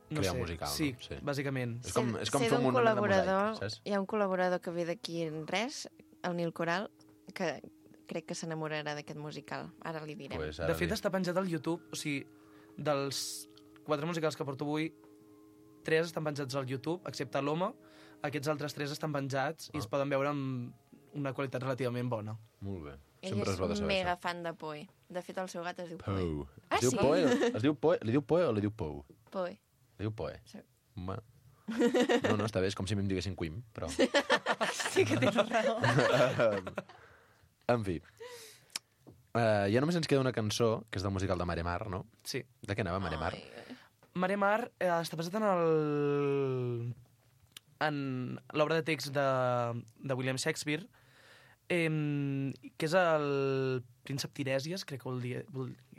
No Crear sé, musical, sí, no? Sí. bàsicament. És com Sé fer d'un un monument de col·laborador, mosaic, saps? hi ha un col·laborador que ve d'aquí en res, el Nil Coral, que crec que s'enamorarà d'aquest musical. Ara li direm. Pues De fet, està penjat al YouTube, o sigui, dels 4 musicals que porto avui, 3 estan penjats al YouTube, excepte l'Home. Aquests altres 3 estan penjats i es poden veure amb una qualitat relativament bona. Molt bé. Ell Sempre és bo de és saber mega això. fan de Poe. De fet, el seu gat es diu Poe. Poe. Ah, Es diu sí? Poe? Es diu Poe? Li diu Poe o li diu Pou? Poe. Li diu Poe? Sí. Bueno. No, està bé, és com si em diguessin Quim, però... Sí que tens raó. En fi. Ja només ens queda una cançó, que és del musical de Mare Mar, no? Sí. De què anava Mare Mar? Mare Mar està basat en l'obra de text de William Shakespeare, que és el príncep Tirèsies, crec que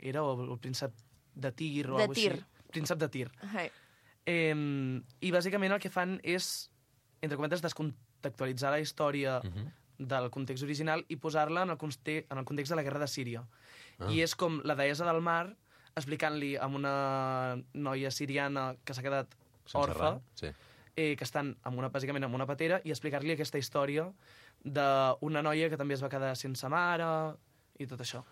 era, o el príncep de Tir, o De alguna Tir. cosa així. Príncep de Tir. Hey. I bàsicament el que fan és, entre cometes, descontextualitzar la història del context original i posar-la en el context de la guerra de Síria. I és com la deessa del mar explicant-li a una noia siriana que s'ha quedat Sense orfa res, sí. que estan bàsicament en una patera, i explicar-li aquesta història d'una noia que també es va quedar sense mare i tot això.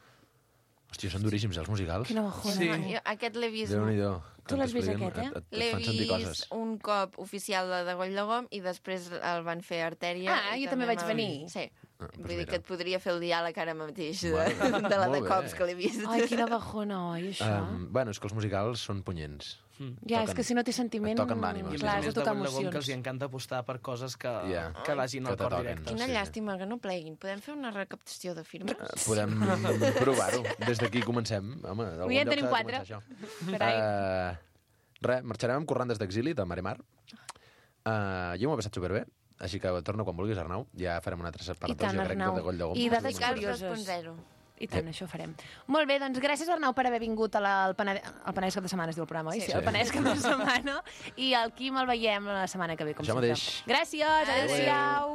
Hòstia, són duríssims, els musicals. Quina bajona. Sí. Jo aquest l'he vist... Déu-n'hi-do. Tu l'has vist, aquest, eh? L'he vist un cop oficial de Goll de Gom i després el van fer Artèria. Ah, jo també vaig venir. Sí. Vull dir mira. que et podria fer el diàleg ara mateix de Bueno, la de molt cops bé. que l'he vist. Ai, quina bajona, oi, això? Bueno, és que els musicals són punyents. Ja, és que si no té sentiment... et toquen l'ànima. I a Clar, més és de de tocar Goll de Gom, que emocions. els hi encanta apostar per coses que Ja. vagin al Que te cor toquen. directe. Quina sí. llàstima que no pleguin. Podem fer una recaptació de firmes? Podem provar-ho. Des d'aquí comencem. Home, d'algun Ja en lloc tenim s'ha de 4. començar això. Res, marxarem amb Corrandes d'exili, de Maremar. Jo m'ho he passat superbé, així que torno quan vulguis, Arnau. Ja farem una altra I separatòria, tant, crec, Arnau. de Goll de Gom. I dades Musicals curioses. 2.0. I tant, això farem. Molt bé, doncs gràcies, Arnau, per haver vingut al Penedès Cap de Setmana, es diu el programa, oi? Sí. El Penedès Cap de Setmana. I el Quim el veiem la setmana que ve, com Això sempre. mateix. Gràcies, adéu-siau.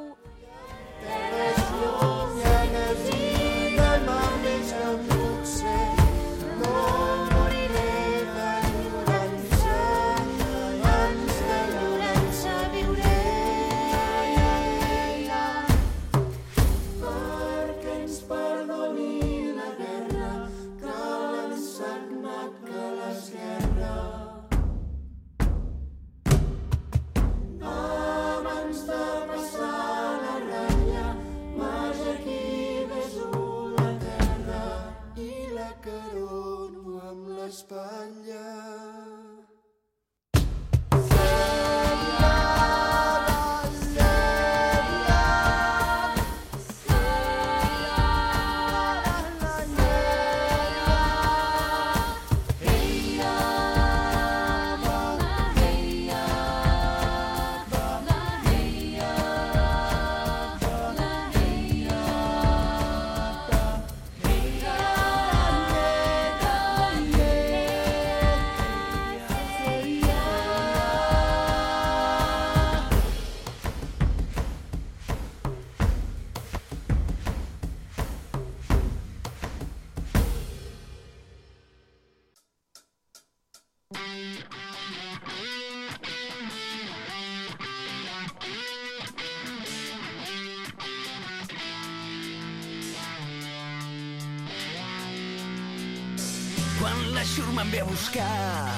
Quan la xurma em ve a buscar,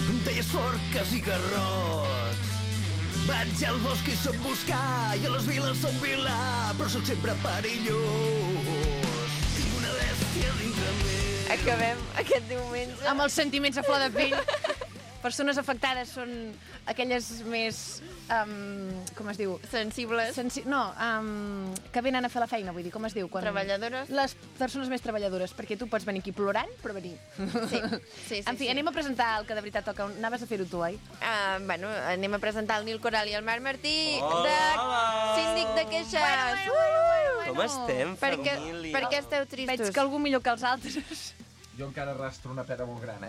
em deies forques i garrots. Vaig al bosc i soc buscar, i a les viles som vilà, però sóc sempre perillós. Tinc una bèstia dintre meu. Acabem aquest diumenge. Amb els sentiments a flor de pell. Persones afectades són aquelles més... com es diu? Sensibles. Que venen a fer la feina, vull dir, com es diu? Treballadores. Les persones més treballadores, perquè tu pots venir aquí plorant, però venir. Sí, En fi, anem a presentar el que de veritat toca. Anaves a fer-ho tu, oi? Bueno, anem a presentar el Nil Coral i el Marc Martí Hola! de Síndic de Queixes. Com estem, família? Per què esteu tristos? Veig que algú millor que els altres. Jo encara arrastro una pera molt gran,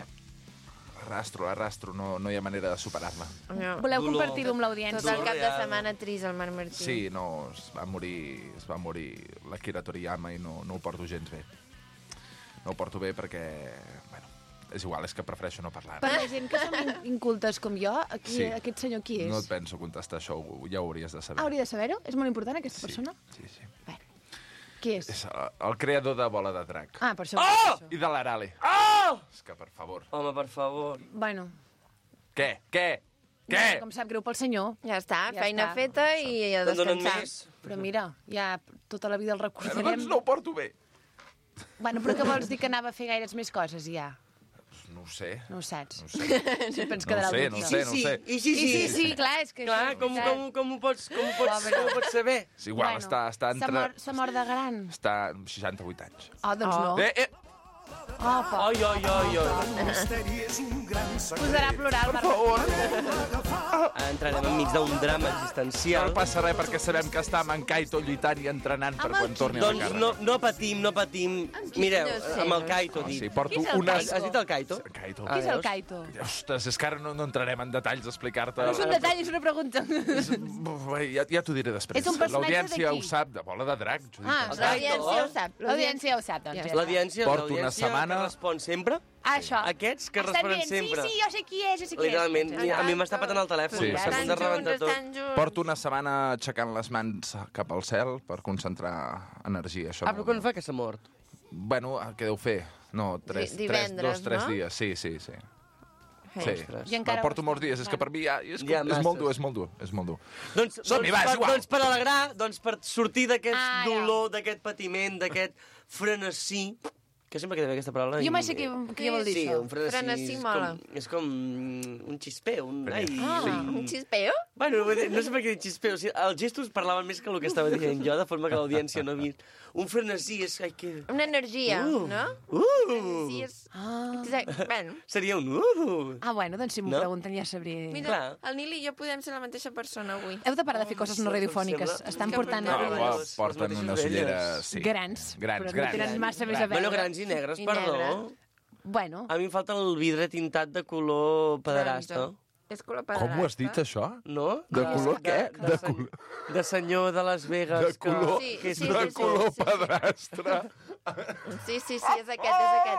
Arrastro, no hi ha manera de superar-la. No. Voleu compartir-ho amb l'audiència? Tot el cap de setmana trist, el Marc Martí. Sí, no, es va morir l'Akira Toriyama i no ho porto gens bé. No ho porto bé perquè, bueno, és igual, és que prefereixo no parlar. Per la gent que som incultes com jo, Sí. aquest senyor qui és? No et penso contestar això, ja ho hauries de saber. Hauria de saber-ho? És molt important, aquesta persona? Sí. Qui és? És el creador de Bola de Drac. Ah, per això. I de l'Arale. Oh! És que, per favor. Home, per favor. Bueno. Què? Com sap greu pel senyor. Ja està, feina feta i a descansar. Però mira, ja tota la vida el recordarem. Doncs no ho porto bé. Bueno, però què vols dir, que anava a fer gaires més coses, ja? No ho sé. No ho saps. No ho sé. Sempre ens No quedarà ho sé, el no ho dubte. sé, no ho sé. I sí, clar, és que... Clar, això, com ho pots saber? És igual, Bueno, està entre... S'ha mort de gran. Està amb 68 anys. Ah, doncs no. Opa. Ai. Posarà a plorar el Marc. Entrarem enmig d'un drama existencial. No passa res perquè sabem que està amb en Kaito lluitant i entrenant per quan torni a la Doncs càrrega. no patim. Mireu, amb el Kaito, dic. Sí, porto Qui és el unes... Kaito? Has dit el Kaito? Kaito. Qui és el Kaito? Ostres, és que ara no entrarem en detalls a explicar-te. No és un detall, és una pregunta. Ja t'ho diré després. És un personatge L'audiència de qui? ho sap, de Bola de Drac. Ah, l'audiència ho sap. L'audiència ho sap, doncs. L'audiència Porto una setmana- que respon sempre? Això. Aquests que Estan responen dient, sempre. Sí, jo sé qui és, jo sé qui és. Literalment, a mi m'està patant el telèfon. Sí, S'ha sí. de rebentar tot. Porto una setmana aixecant les mans cap al cel per concentrar energia. Això Però quan fa que s'ha mort? Bueno, què deu fer? No, Divendres, 2-3 no? dies, sí. Sí, I encara porto molts dies, és que per mi és molt dur, és molt dur. Doncs, Som-hi, va, és igual. doncs per alegrar, doncs per sortir d'aquest dolor, d'aquest patiment, d'aquest frenesí, que sempre queda bé aquesta paraula. Jo mai sé què vol dir sí, això. un frenesí. Frenesí mola. És com un xispeo. Un xispeo? Bueno, no sé per què dir xispeo. O sigui, els gestos parlaven més que el que estava dient jo, de forma que l'audiència no ha vist. Un frenesí és... Una energia, no? Frenesí és... Bueno. Seria un... bueno, doncs si m'ho pregunten ja sabré. Mira, el Nil i jo podem ser la mateixa persona avui. Heu de parar de fer coses no radiofòniques. Estan portant... Porten unes ulleres... Grans. Grans. No tenen massa més a veure. Bueno, grans i negres, perdó. Bueno. A mi em falta el vidre tintat de color pederasta. És color Com ho has dit, això? No? De color què? De senyor de Las Vegas. De color, de color pedrastre. Sí, és aquest.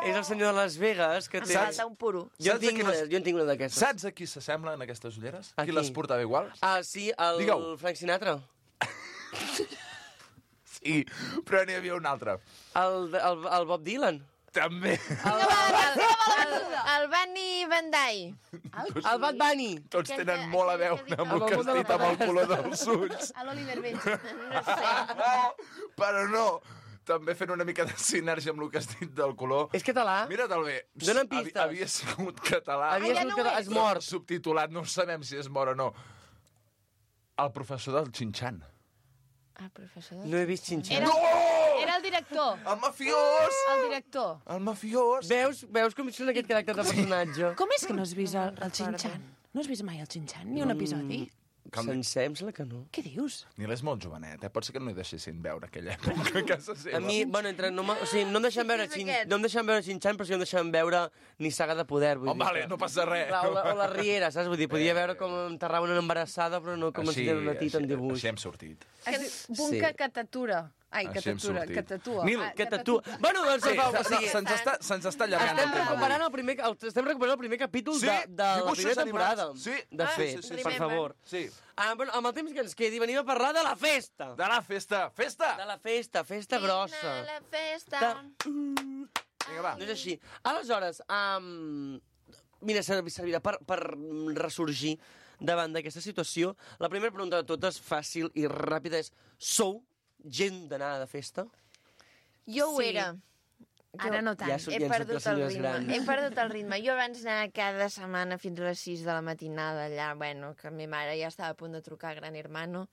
És el senyor de Las Vegas que té... Falta un puro. Jo en tinc una d'aquestes. Saps a qui s'assemblen aquestes ulleres? Qui les portava iguals? Ah, sí, el Frank Sinatra. Sí, però n'hi havia un altre. El Bob Dylan. També. El Bunny Bandai. El Bad Bunny. Tots tenen molt a veure amb el que has dit, amb el color dels ulls. L'Oliver Benji. No sé. Però no. També fent una mica de sinergia amb el que has dit del color. És català? Mira't-el bé. Donen pistes. Havia sigut català. És mort. Subtitulat, no sabem si és mort o no. El professor del Xinxan. El professor No he vist Xinxan. Era el director. El mafiós! El director. El mafiós. Veus com són aquest caràcter de personatge? Com és que no has vist el Xinxan? No has vist mai el Xinxan? Ni un episodi? Sencer, em sembla que no. Què dius? Nil és molt jovenet, Pot ser que no hi deixessin veure aquella època a casa seva. A mi, bueno, o sigui, no em deixen veure Xinxan, però sí em deixen veure ni Saga de Poder. Vale, no passa res. O la Riera, saps? Vull dir, podia veure com enterraven una embarassada, però no com ensenyen una tita en dibuix. Així hem sortit. Bunca que tatura. Ai, que tatura, que tatua. Nil, que tatua. Bueno, doncs se'ns està allargant el tema. Estem recuperant el primer capítol de la primera temporada. Sí. De fet, per favor. Sí. Bueno, amb el temps que ens quedi, venim a parlar de la festa. De la festa. Festa! De la festa grossa. La festa. Vinga, va. No és així. Aleshores, mira, servirà per ressorgir davant d'aquesta situació. La primera pregunta de totes, fàcil i ràpida, és: sou gent d'anar de festa? Jo ho era. Ara no tant. He perdut el ritme. Jo abans anava cada setmana fins a les 6 de la matinada allà, bueno, que mi mare ja estava a punt de trucar a Gran Hermano.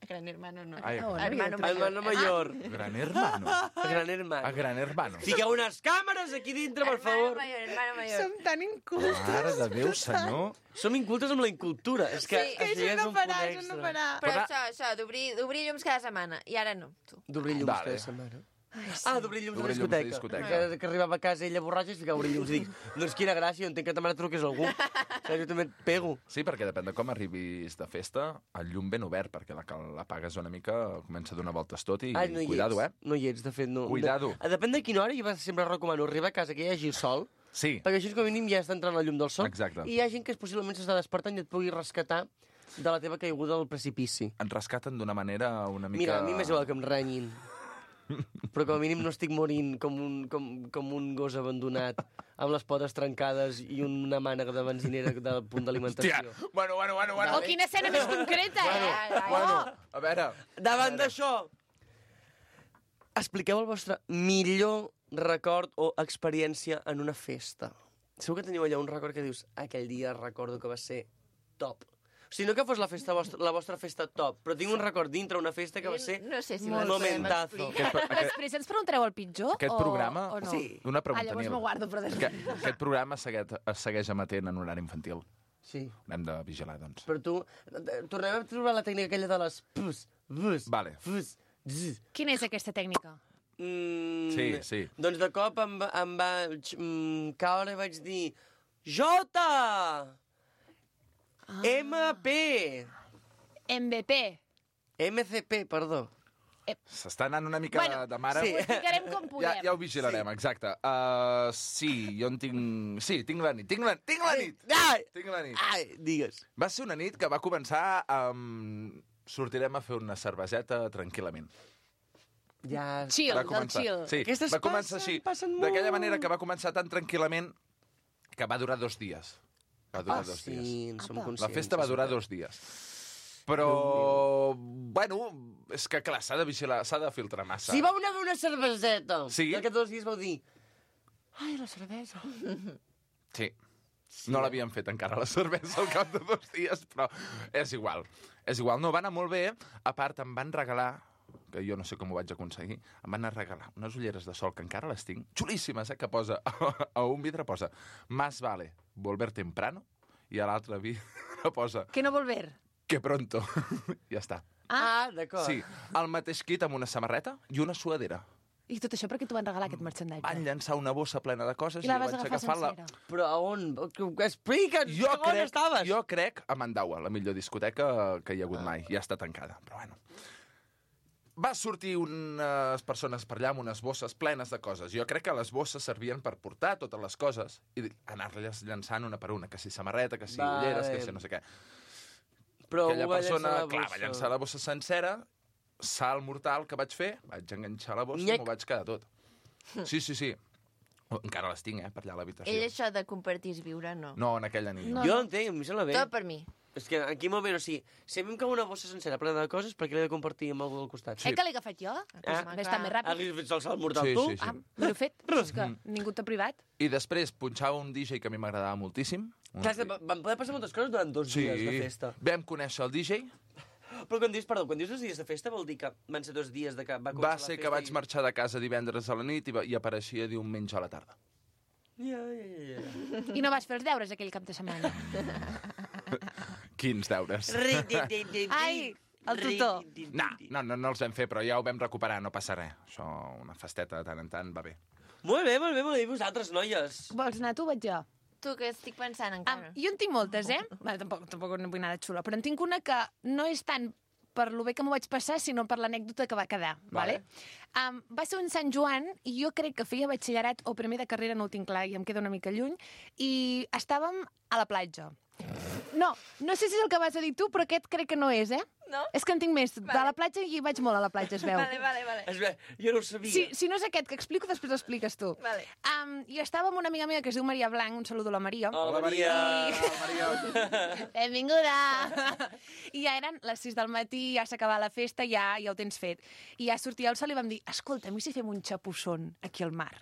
Gran Hermano no. Hermano Mayor. Gran Hermano. Gran Hermano. A Gran Hermano. Fiqueu unes càmeres aquí dintre, per favor. Hermano Mayor. Som tan incultes. Mare de Déu, senyor. Som incultes amb la incultura. És que això és un punt extra. Però això, d'obrir llums cada setmana. I ara no, tu. D'obrir llums cada setmana. D'obrir llums a la discoteca. Que arribava a casa ella borratxa i es ficava obrir llums i dic, doncs quina gràcia, entenc que ta mare truqués algú. Jo també et pego. Sí, perquè depèn de com arribis de festa, el llum ben obert, perquè l'apagues una mica, comença a donar voltes tot i cuidado, No hi ets, de fet, no. Cuidado. Depèn de quina hora, jo sempre recomano arribar a casa que hi hagi sol, perquè així com a mínim ja està entrant la llum del sol. Exacte. I hi ha gent que possiblement s'està despertant i et pugui rescatar de la teva caiguda al precipici. Et rescaten d'una manera una mica... Mira, a mi m'és igual que em renyin. Però com a mínim no estic morint com un gos abandonat amb les potes trencades i una mànega de benzinera del punt d'alimentació. Hòstia, bueno. Oh, quina escena més concreta, Bueno, a veure... Davant d'això, expliqueu el vostre millor record o experiència en una festa. Segur que teniu allà un record que dius aquell dia recordo que va ser top. O sigui, no que fos la vostra festa top, però tinc un record dintre una festa que va ser un momentazo. Després ens preguntareu el pitjor Aquest programa... o no? Sí. Una pregunta, llavors Nil. m'ho guardo, però després. Aquest programa es segueix emetent en horari infantil. Sí. Hem de vigilar, doncs. Però tu... Tornem a trobar la tècnica aquella de les... Vale. Quina és aquesta tècnica? Sí. Doncs de cop em va caure i vaig dir Jota! MP! MVP. MCP, perdó. S'està anant una mica de mare. Ho explicarem com podem. Ja ho vigilarem, exacte. Sí, jo en tinc... Sí, tinc la nit. Tinc la nit. Ai, digues. Va ser una nit que va començar amb... Sortirem a fer una cerveseta tranquil·lament. Ja... Chill, Va començar. del chill. Sí, Aquestes va començar així. D'aquella manera que va començar tan tranquil·lament que va durar 2 dies. Va durar 2 sí, dies. en som conscients. La festa va durar 2 dies. Però, bueno, és que clar, s'ha de vigilar, s'ha de filtrar massa. Sí, vau anar a fer una cerveseta. Sí. I al cap de 2 dies vau dir... Ai, la cervesa. Sí. No l'havíem fet encara, la cervesa, al cap de 2 dies, però és igual. És igual. No, va anar molt bé. A part, em van regalar, que jo no sé com ho vaig aconseguir, em van anar a regalar unes ulleres de sol, que encara les tinc, xulíssimes, que posa, a un vidre posa, más vale volver temprano, i a l'altre vidre posa, Que no volver. que pronto. Ja està. Ah, d'acord. Sí, el mateix kit amb una samarreta i una suadera. I tot això perquè t'ho van regalar, aquest merchandatge. Van llençar una bossa plena de coses I la jo vas vaig agafar agafar sencera. Però a on? Explica'ns, on estaves? Jo crec a Mandaua, la millor discoteca que hi ha hagut mai. Ja està tancada, però bueno. Va sortir unes persones per allà amb unes bosses plenes de coses. Jo crec que les bosses servien per portar totes les coses i anar-les llençant una per una, que si samarreta, que si ulleres, que si no sé què. Però aquella va persona, llançar la clar, va bossa. llançar la bossa sencera, salt mortal que vaig fer, vaig enganxar la bossa i m'ho vaig quedar tot. Sí. Encara les tinc, per allà a l'habitació. Ell això de compartir és viure, no. No, en aquella nit. Jo entenc, a mi sembla bé. Tot per mi. És que aquí molt bé, o sigui, si a mi em cau una bossa sencera plena de coses, per què l'he de compartir amb algú al costat? Que l'he agafat jo? Ves estar més ràpid. Has fet el salt mortal Sí, tu? sí, sí. Me l'he fet. És que ningú t'ha privat. I després punxava un DJ que a mi m'agradava moltíssim. Clar, és que van poder passar moltes coses durant 2 dies de festa. Vam conèixer el DJ. Però quan dius 2 dies de festa vol dir que van ser 2 dies de que va començar Va la ser festa que vaig marxar de casa divendres a la nit i apareixia diumenge a la tarda. Ja. I no vas fer els deures aquell cap de setmana. Quins deures? Ai, el tutor. No els vam fer, però ja ho vam recuperar, no passa res. Això, una festeta de tant en tant, va bé. Molt bé, i vosaltres, noies? Vols anar tu o vaig jo? Tu, que estic pensant encara. Jo en tinc moltes, Bueno, tampoc no vull anar de xulo, però en tinc una que no és tant per lo bé que m'ho vaig passar, sinó per l'anècdota que va quedar. Vale? Va ser un Sant Joan, i jo crec que feia batxillerat o primer de carrera, no ho tinc clar, i em queda una mica lluny, i estàvem a la platja. No sé si és el que vas a dir tu, però aquest crec que no és, No? És que en tinc més. De la platja i vaig molt a la platja, es veu. Vale. Es veu, jo no ho sabia. Si no és aquest que explico, després l'expliques tu. Vale. I estava amb una amiga meva que es diu Maria Blanc, un saludo a la Maria. Hola, Maria! Benvinguda! I ja eren les 6 del matí, ja s'acabava la festa, ja ho tens fet. I ja sortia el sol i vam dir, escolta, a mi si fem un xapusson aquí al mar.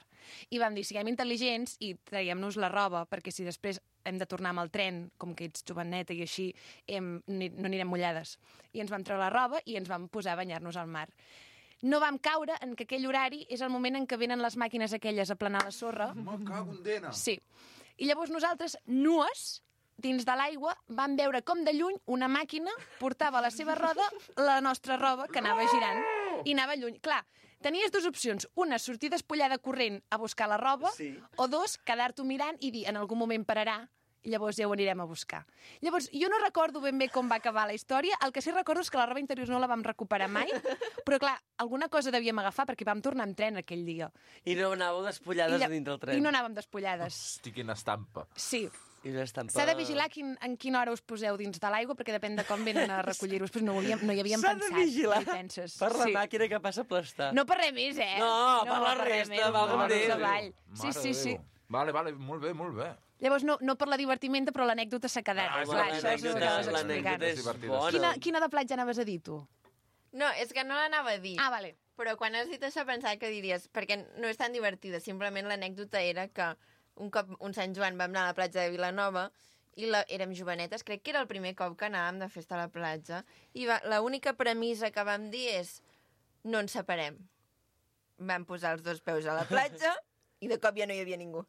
I vam dir, siguem intel·ligents i traiem-nos la roba, perquè si després hem de tornar amb el tren, com que ets joveneta i així, no anirem mullades. I ens vam treure la roba i ens vam posar a banyar-nos al mar. No vam caure en que aquell horari és el moment en què venen les màquines aquelles a planar la sorra. Me cago en dena! Sí. I llavors nosaltres, nues, dins de l'aigua, vam veure com de lluny una màquina portava a la seva roda la nostra roba, que anava girant, i anava lluny. Clar, tenies 2 opcions. Una, sortir despullada corrent a buscar la roba, o 2, quedar-t'ho mirant i dir, en algun moment pararà, i llavors ja ho anirem a buscar. Llavors, jo no recordo ben bé com va acabar la història, el que sí recordo és que la roba interior no la vam recuperar mai, però clar, alguna cosa devíem agafar perquè vam tornar amb tren aquell dia. I no anàveu despullades dintre del tren. I no anàvem despullades. Hosti, quina estampa. Sí. S'ha de vigilar en quina hora us poseu dins de l'aigua, perquè depèn de com venen a recollir-vos. Pues no hi havíem pensat. S'ha de vigilar penses? per la màquina que passa a aplastar. No per res més, No, per la resta, valga'm Déu. Sí. Vale, molt bé. Llavors, no per la divertimenta, però l'anècdota s'ha quedat. L'anècdota és bona. Quina de platja anaves a dir, tu? No, és que no l'anava a dir. Ah, vale. Però quan has dit això pensava que diries, perquè no és tan divertida, simplement l'anècdota era que un cop un Sant Joan vam anar a la platja de Vilanova i érem jovenetes, crec que era el primer cop que anàvem de festa a la platja, i l'única premissa que vam dir és no ens separem. Vam posar els 2 peus a la platja i de cop ja no hi havia ningú.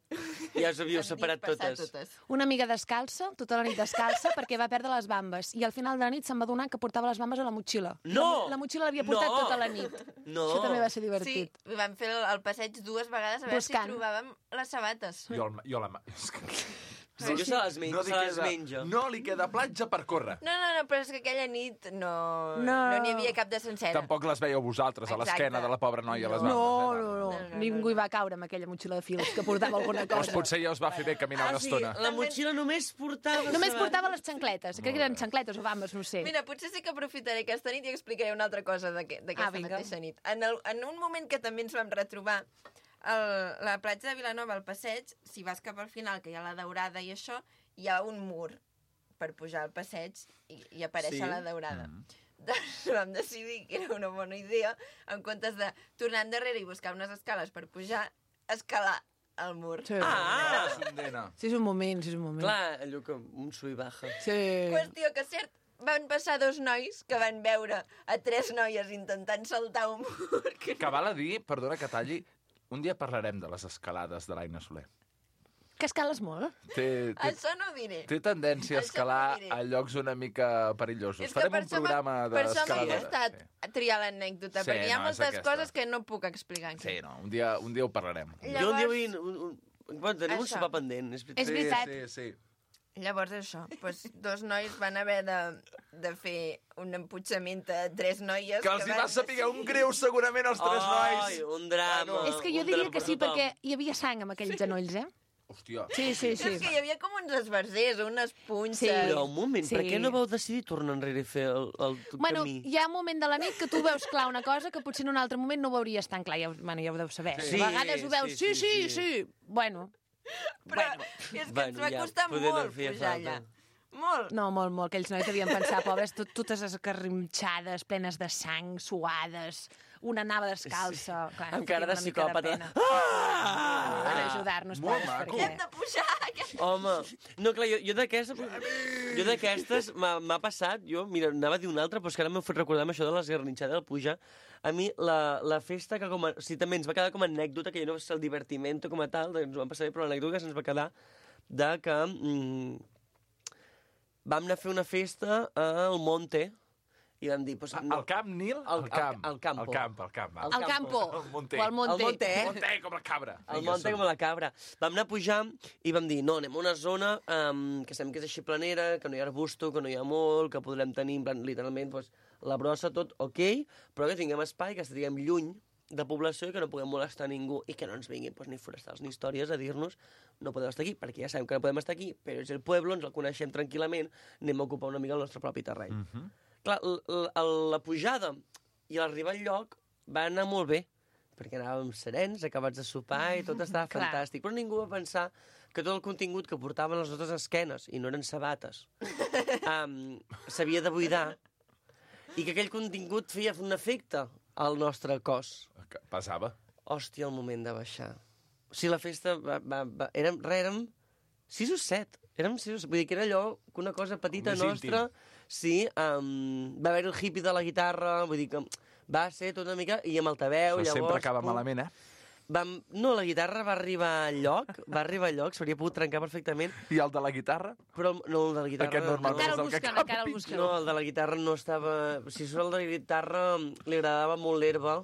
Ja us havíeu separat totes. Una amiga descalça, tota la nit descalça, perquè va perdre les bambes. I al final de la nit se'n va adonar que portava les bambes a la motxilla. No! La motxilla l'havia portat tota la nit. No! Això també va ser divertit. Sí, vam fer el passeig 2 vegades a veure si trobàvem les sabates. Jo la... Sí, que se les menja. No li queda platja per córrer. No, però és que aquella nit no No. n'hi havia cap de sencera. Tampoc les veieu vosaltres a l'esquena de la pobra noia a les bandes. No. Ningú hi va caure amb aquella motxilla de fils que portava alguna Doncs cosa. potser ja us va fer bé caminar una estona. La motxilla només portava... Només portava les xancletes. Crec que eren xancletes o bambes, no ho sé. Mira, potser sí que aprofitaré aquesta nit i explicaré una altra cosa d'aquesta mateixa nit. En un moment que també ens vam retrobar, la platja de Vilanova, al passeig, si vas cap al final, que hi ha la daurada i això, hi ha un mur per pujar al passeig i aparèixer la daurada. Doncs vam decidir que era una bona idea, en comptes de tornar endarrere i buscar unes escales per pujar, escalar el mur. Sí. Sí, és un moment. Clar, allò que un sub i baja. Sí. Qüestió que, cert, van passar 2 nois que van veure a 3 noies intentant saltar un mur. Que val a dir, perdona que talli, un dia parlarem de les escalades de l'Aina Soler. Que escales molt? Això no ho diré. Té tendència a escalar Això no ho diré. a llocs una mica perillosos. És que Farem per un programa per això m'ha d'escaladores. costat triar l'anècdota, Sí, perquè hi ha no, és moltes aquesta. coses que no puc explicar aquí. Sí, no, un dia ho parlarem. Jo un dia vull... Bueno, tenim un Això. sopar pendent. És veritat. Sí. Llavors això, doncs 2 nois van haver de fer un emputxament a 3 noies... Que els hi va saber un greu segurament als 3 nois. Ai, un drama. És que jo diria que sí, perquè hi havia sang amb aquells genolls, eh? Hòstia. Sí. És que hi havia com uns esbarzers, unes punces... Sí. Però un moment, per Sí. què no vau decidir tornar enrere i fer el Bueno, camí? hi ha un moment de la nit que tu veus clar una cosa que potser en un altre moment no ho veuries tan clar. Ja ho deu saber. Sí, A vegades ho veus, sí, sí. Bueno, Però és que ens va costar poder no molt feia pujar falta. allà. Molt. no, molt. Aquells nois devien pensar, pobres, totes escarrinxades, plenes de sang, suades, una anava descalça. Clar, Amb cara de una mica psicòpata. pena. Per ajudar-nos, pobres, perquè... Hem de pujar. Home, no, clar, jo d'aquestes m'ha passat, mira, anava a dir una altra, però és que ara m'ho fet recordar amb això de les garnitxades del pujar. A mi, la festa que o sigui, també ens va quedar com a anècdota, que jo no va ser el divertimento com a tal, ens ho vam passar bé, però l'anècdota que se'ns va quedar de que vam anar a fer una festa al Monte i vam dir... Pues, no, Al camp, Nil? Al campo. Al camp. Al campo. Al Monte. O al Monte. Al Monte, Al Monte, com la cabra. El Monte com la cabra. Vam anar a pujar i vam dir, no, anem a una zona que sabem que és així planera, que no hi ha arbusto, que no hi ha molt, que podrem tenir, en plan, literalment, pues, la brossa, tot ok, però que tinguem espai, que estiguem lluny de població i que no puguem molestar ningú i que no ens vinguin pues, ni forestals ni històries a dir-nos no podeu estar aquí, perquè ja sabem que no podem estar aquí, però és el poble, ens el coneixem tranquil·lament, anem a ocupar una mica el nostre propi terreny. Clar, la pujada i l'arribar al lloc va anar molt bé, perquè anàvem serens, acabats de sopar i tot estava fantàstic, però ningú va pensar que tot el contingut que portaven les nostres esquenes, i no eren sabates, s'havia de buidar i que aquell contingut feia un efecte al nostre cos. Passava. Hòstia, el moment de baixar. O sigui, la festa érem 6 o 7. Érem 6 o 7. Vull dir que era allò, una cosa petita Més nostra. Sí, va haver el hippie de la guitarra, vull dir que va ser tot una mica... I amb altaveu, Això llavors... sempre acaba malament, No, la guitarra va arribar al lloc, s'hauria pogut trencar perfectament. I el de la guitarra? Però no, el de la guitarra... Aquest normalment és el que acaba pitjor. No, el de la guitarra no estava... Si surt el de la guitarra, li agradava molt l'herba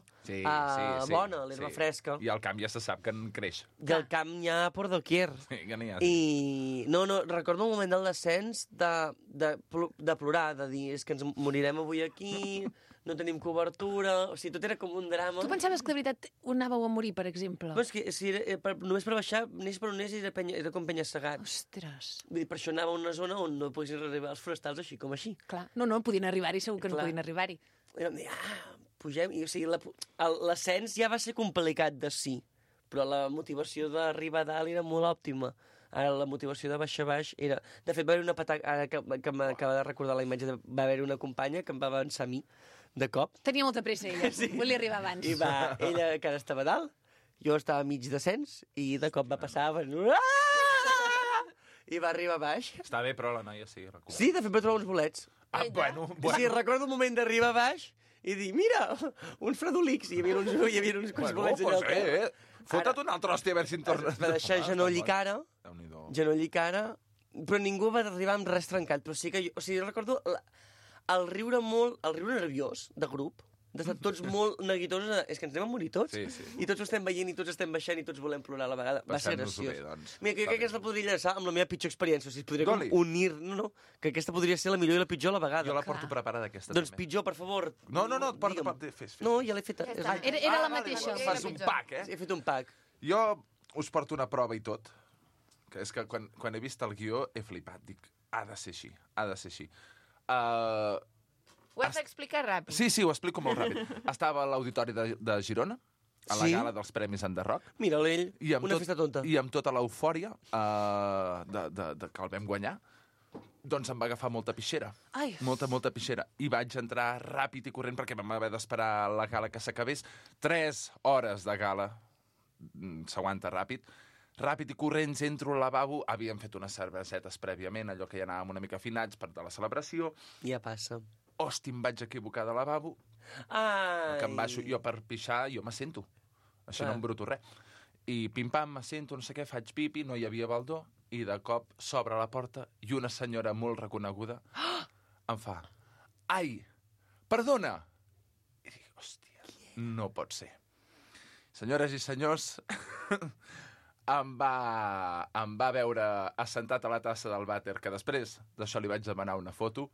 bona, l'herba fresca. I al camp ja se sap que en creix. I al camp n'hi ha por doquier. Sí, que n'hi ha. I no, recordo un moment del descens de plorar, de dir, és que ens morirem avui aquí, no tenim cobertura... O sigui, tot era com un drama. Tu pensaves que de veritat anàveu a morir, per exemple? Però és que si només per baixar, neix per on neix, era com penya-segat. Ostres. Vull dir, per això anava a una zona on no poguessin arribar els forestals així com així. Clar. No, podien arribar-hi, segur que no podien arribar-hi. I vam dir, pugem... I, o sigui, l'ascens ja va ser complicat de sí, però la motivació d'arribar a dalt era molt òptima. Ara la motivació de baixar baix era... De fet, va haver una pataca... Ara que m'acaba de recordar la imatge, va haver una companya que em va avançar a mi, de cop. Tenia molta pressa, ella. Sí. Volia arribar abans. I ella que ara estava dalt, jo estava mig descens, i de cop va passar... I va arribar a baix. Està bé, però la noia sí. Recordo. Sí, de fet va trobar uns bolets. Bueno. Sí, recordo el moment d'arribar a baix i dir, mira, uns fredolics. I hi havia uns bolets allà. Pues fota't una altra hòstia a veure si en tornes. Va deixar genoll i cara, però ningú va arribar amb res trencat. Però sí que jo, o sigui, recordo el riure nerviós de grup, d'estar tots molt neguitosos. És que ens anem a morir tots. Sí, sí. I tots ho estem veient, i tots estem baixant, i tots volem plorar a la vegada. Va ser Passem-nos-ho graciós. bé, doncs. Mira, que jo crec que aquesta podria enllaçar amb la meva pitjor experiència. O sigui, podria Doli. unir... No, que aquesta podria ser la millor i la pitjor a la vegada. Jo la porto preparada, aquesta, Doncs també. pitjor, per favor. No, porta, fes. No, ja l'he fet. Era la mateixa. Fas un pack, eh? Sí, he fet un pack. Jo us porto una prova i tot, que és que quan he vist el guió he flipat. Dic, ha de ser així, ha de ser així. Ho has d'explicar ràpid. Sí, ho explico molt ràpid. Estava a l'Auditori de Girona, a la gala dels Premis Enderroc. Mira l'ell, una festa tonta. I amb tota l'eufòria de que el vam guanyar, doncs em va agafar molta pixera. Ai. Molta pixera. I vaig entrar ràpid i corrent perquè vam haver d'esperar la gala que s'acabés. 3 hores de gala. S'aguanta ràpid. Ràpid i corrents, entro al lavabo. Havíem fet unes cervesetes prèviament, allò que ja anàvem una mica afinats per de la celebració. Ja passa. Hosti, em vaig equivocar de lavabo. Ai. Que em baixo jo per pixar, jo m'assento. Així no em bruto res. I pim-pam, m'assento, no sé què, faig pipi, no hi havia baldó, i de cop s'obre la porta i una senyora molt reconeguda em fa: ai, perdona! I dic, hòstia, no pot ser. Senyores i senyors, em va veure assentat a la tassa del vàter, que després d'això li vaig demanar una foto,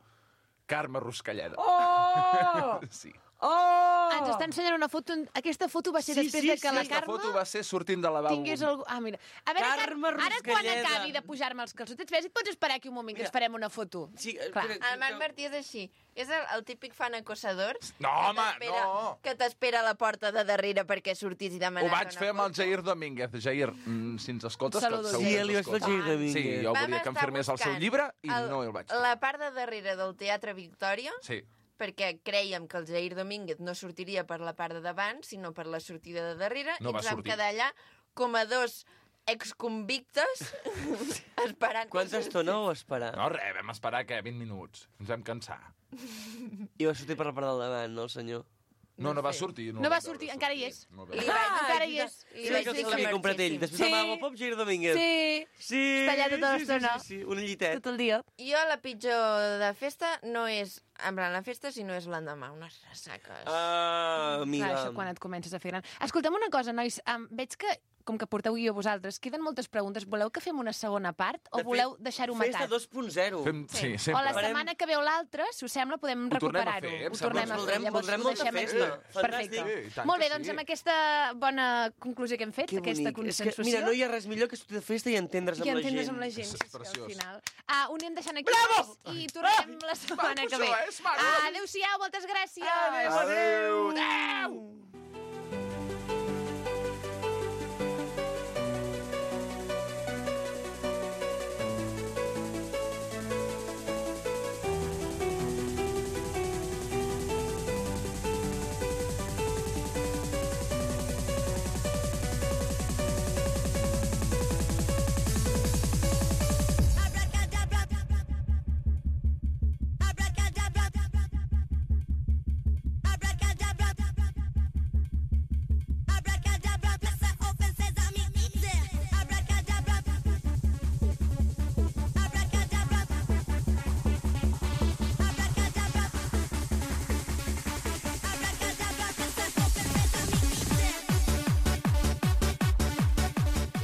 Carme Ruscalleda. Oh! Sí. Oh! Ens està ensenyant una foto. Aquesta foto va ser després de que la Aquesta Carme foto va ser sortint de lavabo. tingués algú... Ah, mira. A veure, Carme ara quan Ruscalleda. acabi de pujar-me els calçotets, ves, et pots esperar aquí un moment, que ens farem una foto. Sí, clar. El Marc Martí és així. És el típic fan acosador. No, home, no. Que t'espera a la porta de darrere perquè sortis i demanes Ho vaig fer amb el Jair Domínguez. Jair, si ens escoltes... Saludo, segur Jair. que ens Sí, li vaig fer el Jair escoltes. Domínguez. Sí, jo Vam volia que em estar firmés el seu buscant llibre i no el vaig fer. La part de darrere del Teatre Victòria, Sí. perquè creiem que el Jair Domínguez no sortiria per la part de davant, sinó per la sortida de darrere, No i va ens vam sortir. quedar allà com a dos exconvictes esperant... Quanta estona vau esperar? No, res, vam esperar, què, 20 minuts. Ens vam cansar. I va sortir per la part del davant, no, el senyor? No va sortir. No va sortir, encara hi és. Encara hi és. Sí, que l'havia comprat ell. Després de Wallapop, Jair Domínguez. Sí. Està allà tota l'estona. Sí, un llitet. Tot el dia. Jo la pitjor de festa no és en plan la festa, sinó és l'endemà, unes ressaques. Ah, amiga. Clar, això quan et comences a fer gran. Escolta'm una cosa, nois. Veig que, com que porteu guió vosaltres, queden moltes preguntes. Voleu que fem una segona part o voleu deixar-ho matat? Festa 2.0. Sí, O sempre. la setmana que ve o l'altra, si us sembla, podem Ho tornem a recuperar-ho. fer, em Ho sembla. tornem a fer. Voldrem- Llavors voldrem ho molta deixem festa. aquí. Fantàstic. Perfecte. Sí, i tant Molt bé, que doncs sí. amb aquesta bona conclusió que hem fet, Que aquesta bonic. És consensuació... que, mira, no hi ha res millor que sortir de festa i entendre's i amb la entendre's gent. amb la gent, És sí, al preciós. final. Ho anem deixant aquí i tornem la setmana que ve. això, és maco. Adéu-siau, moltes gràcies. Adéu. Adéu.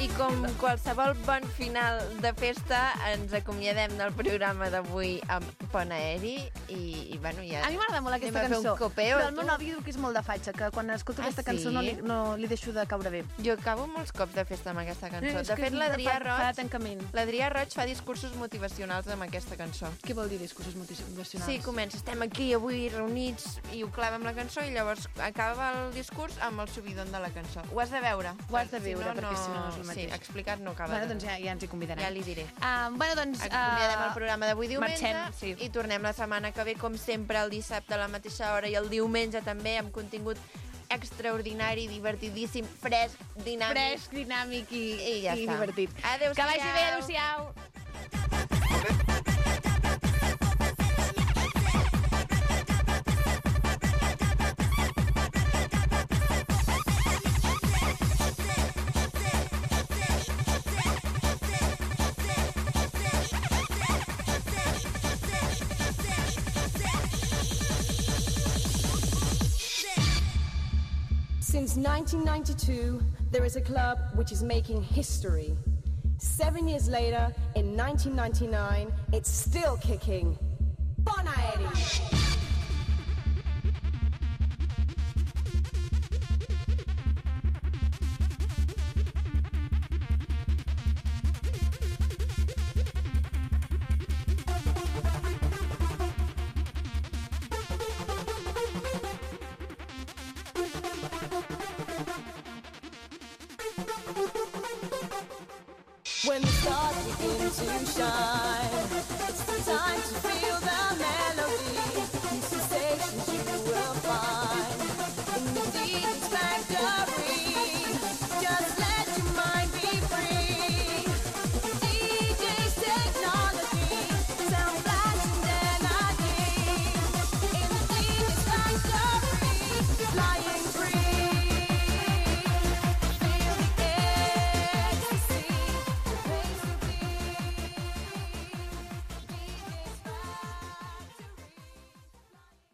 I com qualsevol bon final de festa, ens acomiadem del programa d'avui amb pont aeri i bueno, ja... A mi m'agrada molt aquesta anem a fer cançó. un copeo, Però el meu tu. nòvio diu que és molt de fatxa, que quan escolto aquesta sí? cançó no li deixo de caure bé. Jo acabo molts cops de festa amb aquesta cançó. És De que fet, l'Adrià fa Roig... tancament. L'Adrià Roig fa discursos motivacionals amb aquesta cançó. Què vol dir discursos motivacionals? Sí, comença, estem aquí avui reunits i ho clava amb la cançó i llavors acaba el discurs amb el subidon de la cançó. Ho has de veure. Ho has de veure, perquè si no és el mateix. Sí, explicat no acaba. Bueno, doncs ja ens hi convidarem. Ja li diré. Bueno, doncs... Acomiadem el programa d'avui diumenge Marxem, sí. i tornem la setmana que ve, com sempre, el dissabte a la mateixa hora i el diumenge també, amb contingut extraordinari, divertidíssim, fresc, dinàmic. Fresc, dinàmic i ja està. divertit. Adéu-siau. Que vagi bé, adéu-siau. Since 1992, there is a club which is making history. 7 years later, in 1999, it's still kicking. Bon Aeri! When the stars begin to shine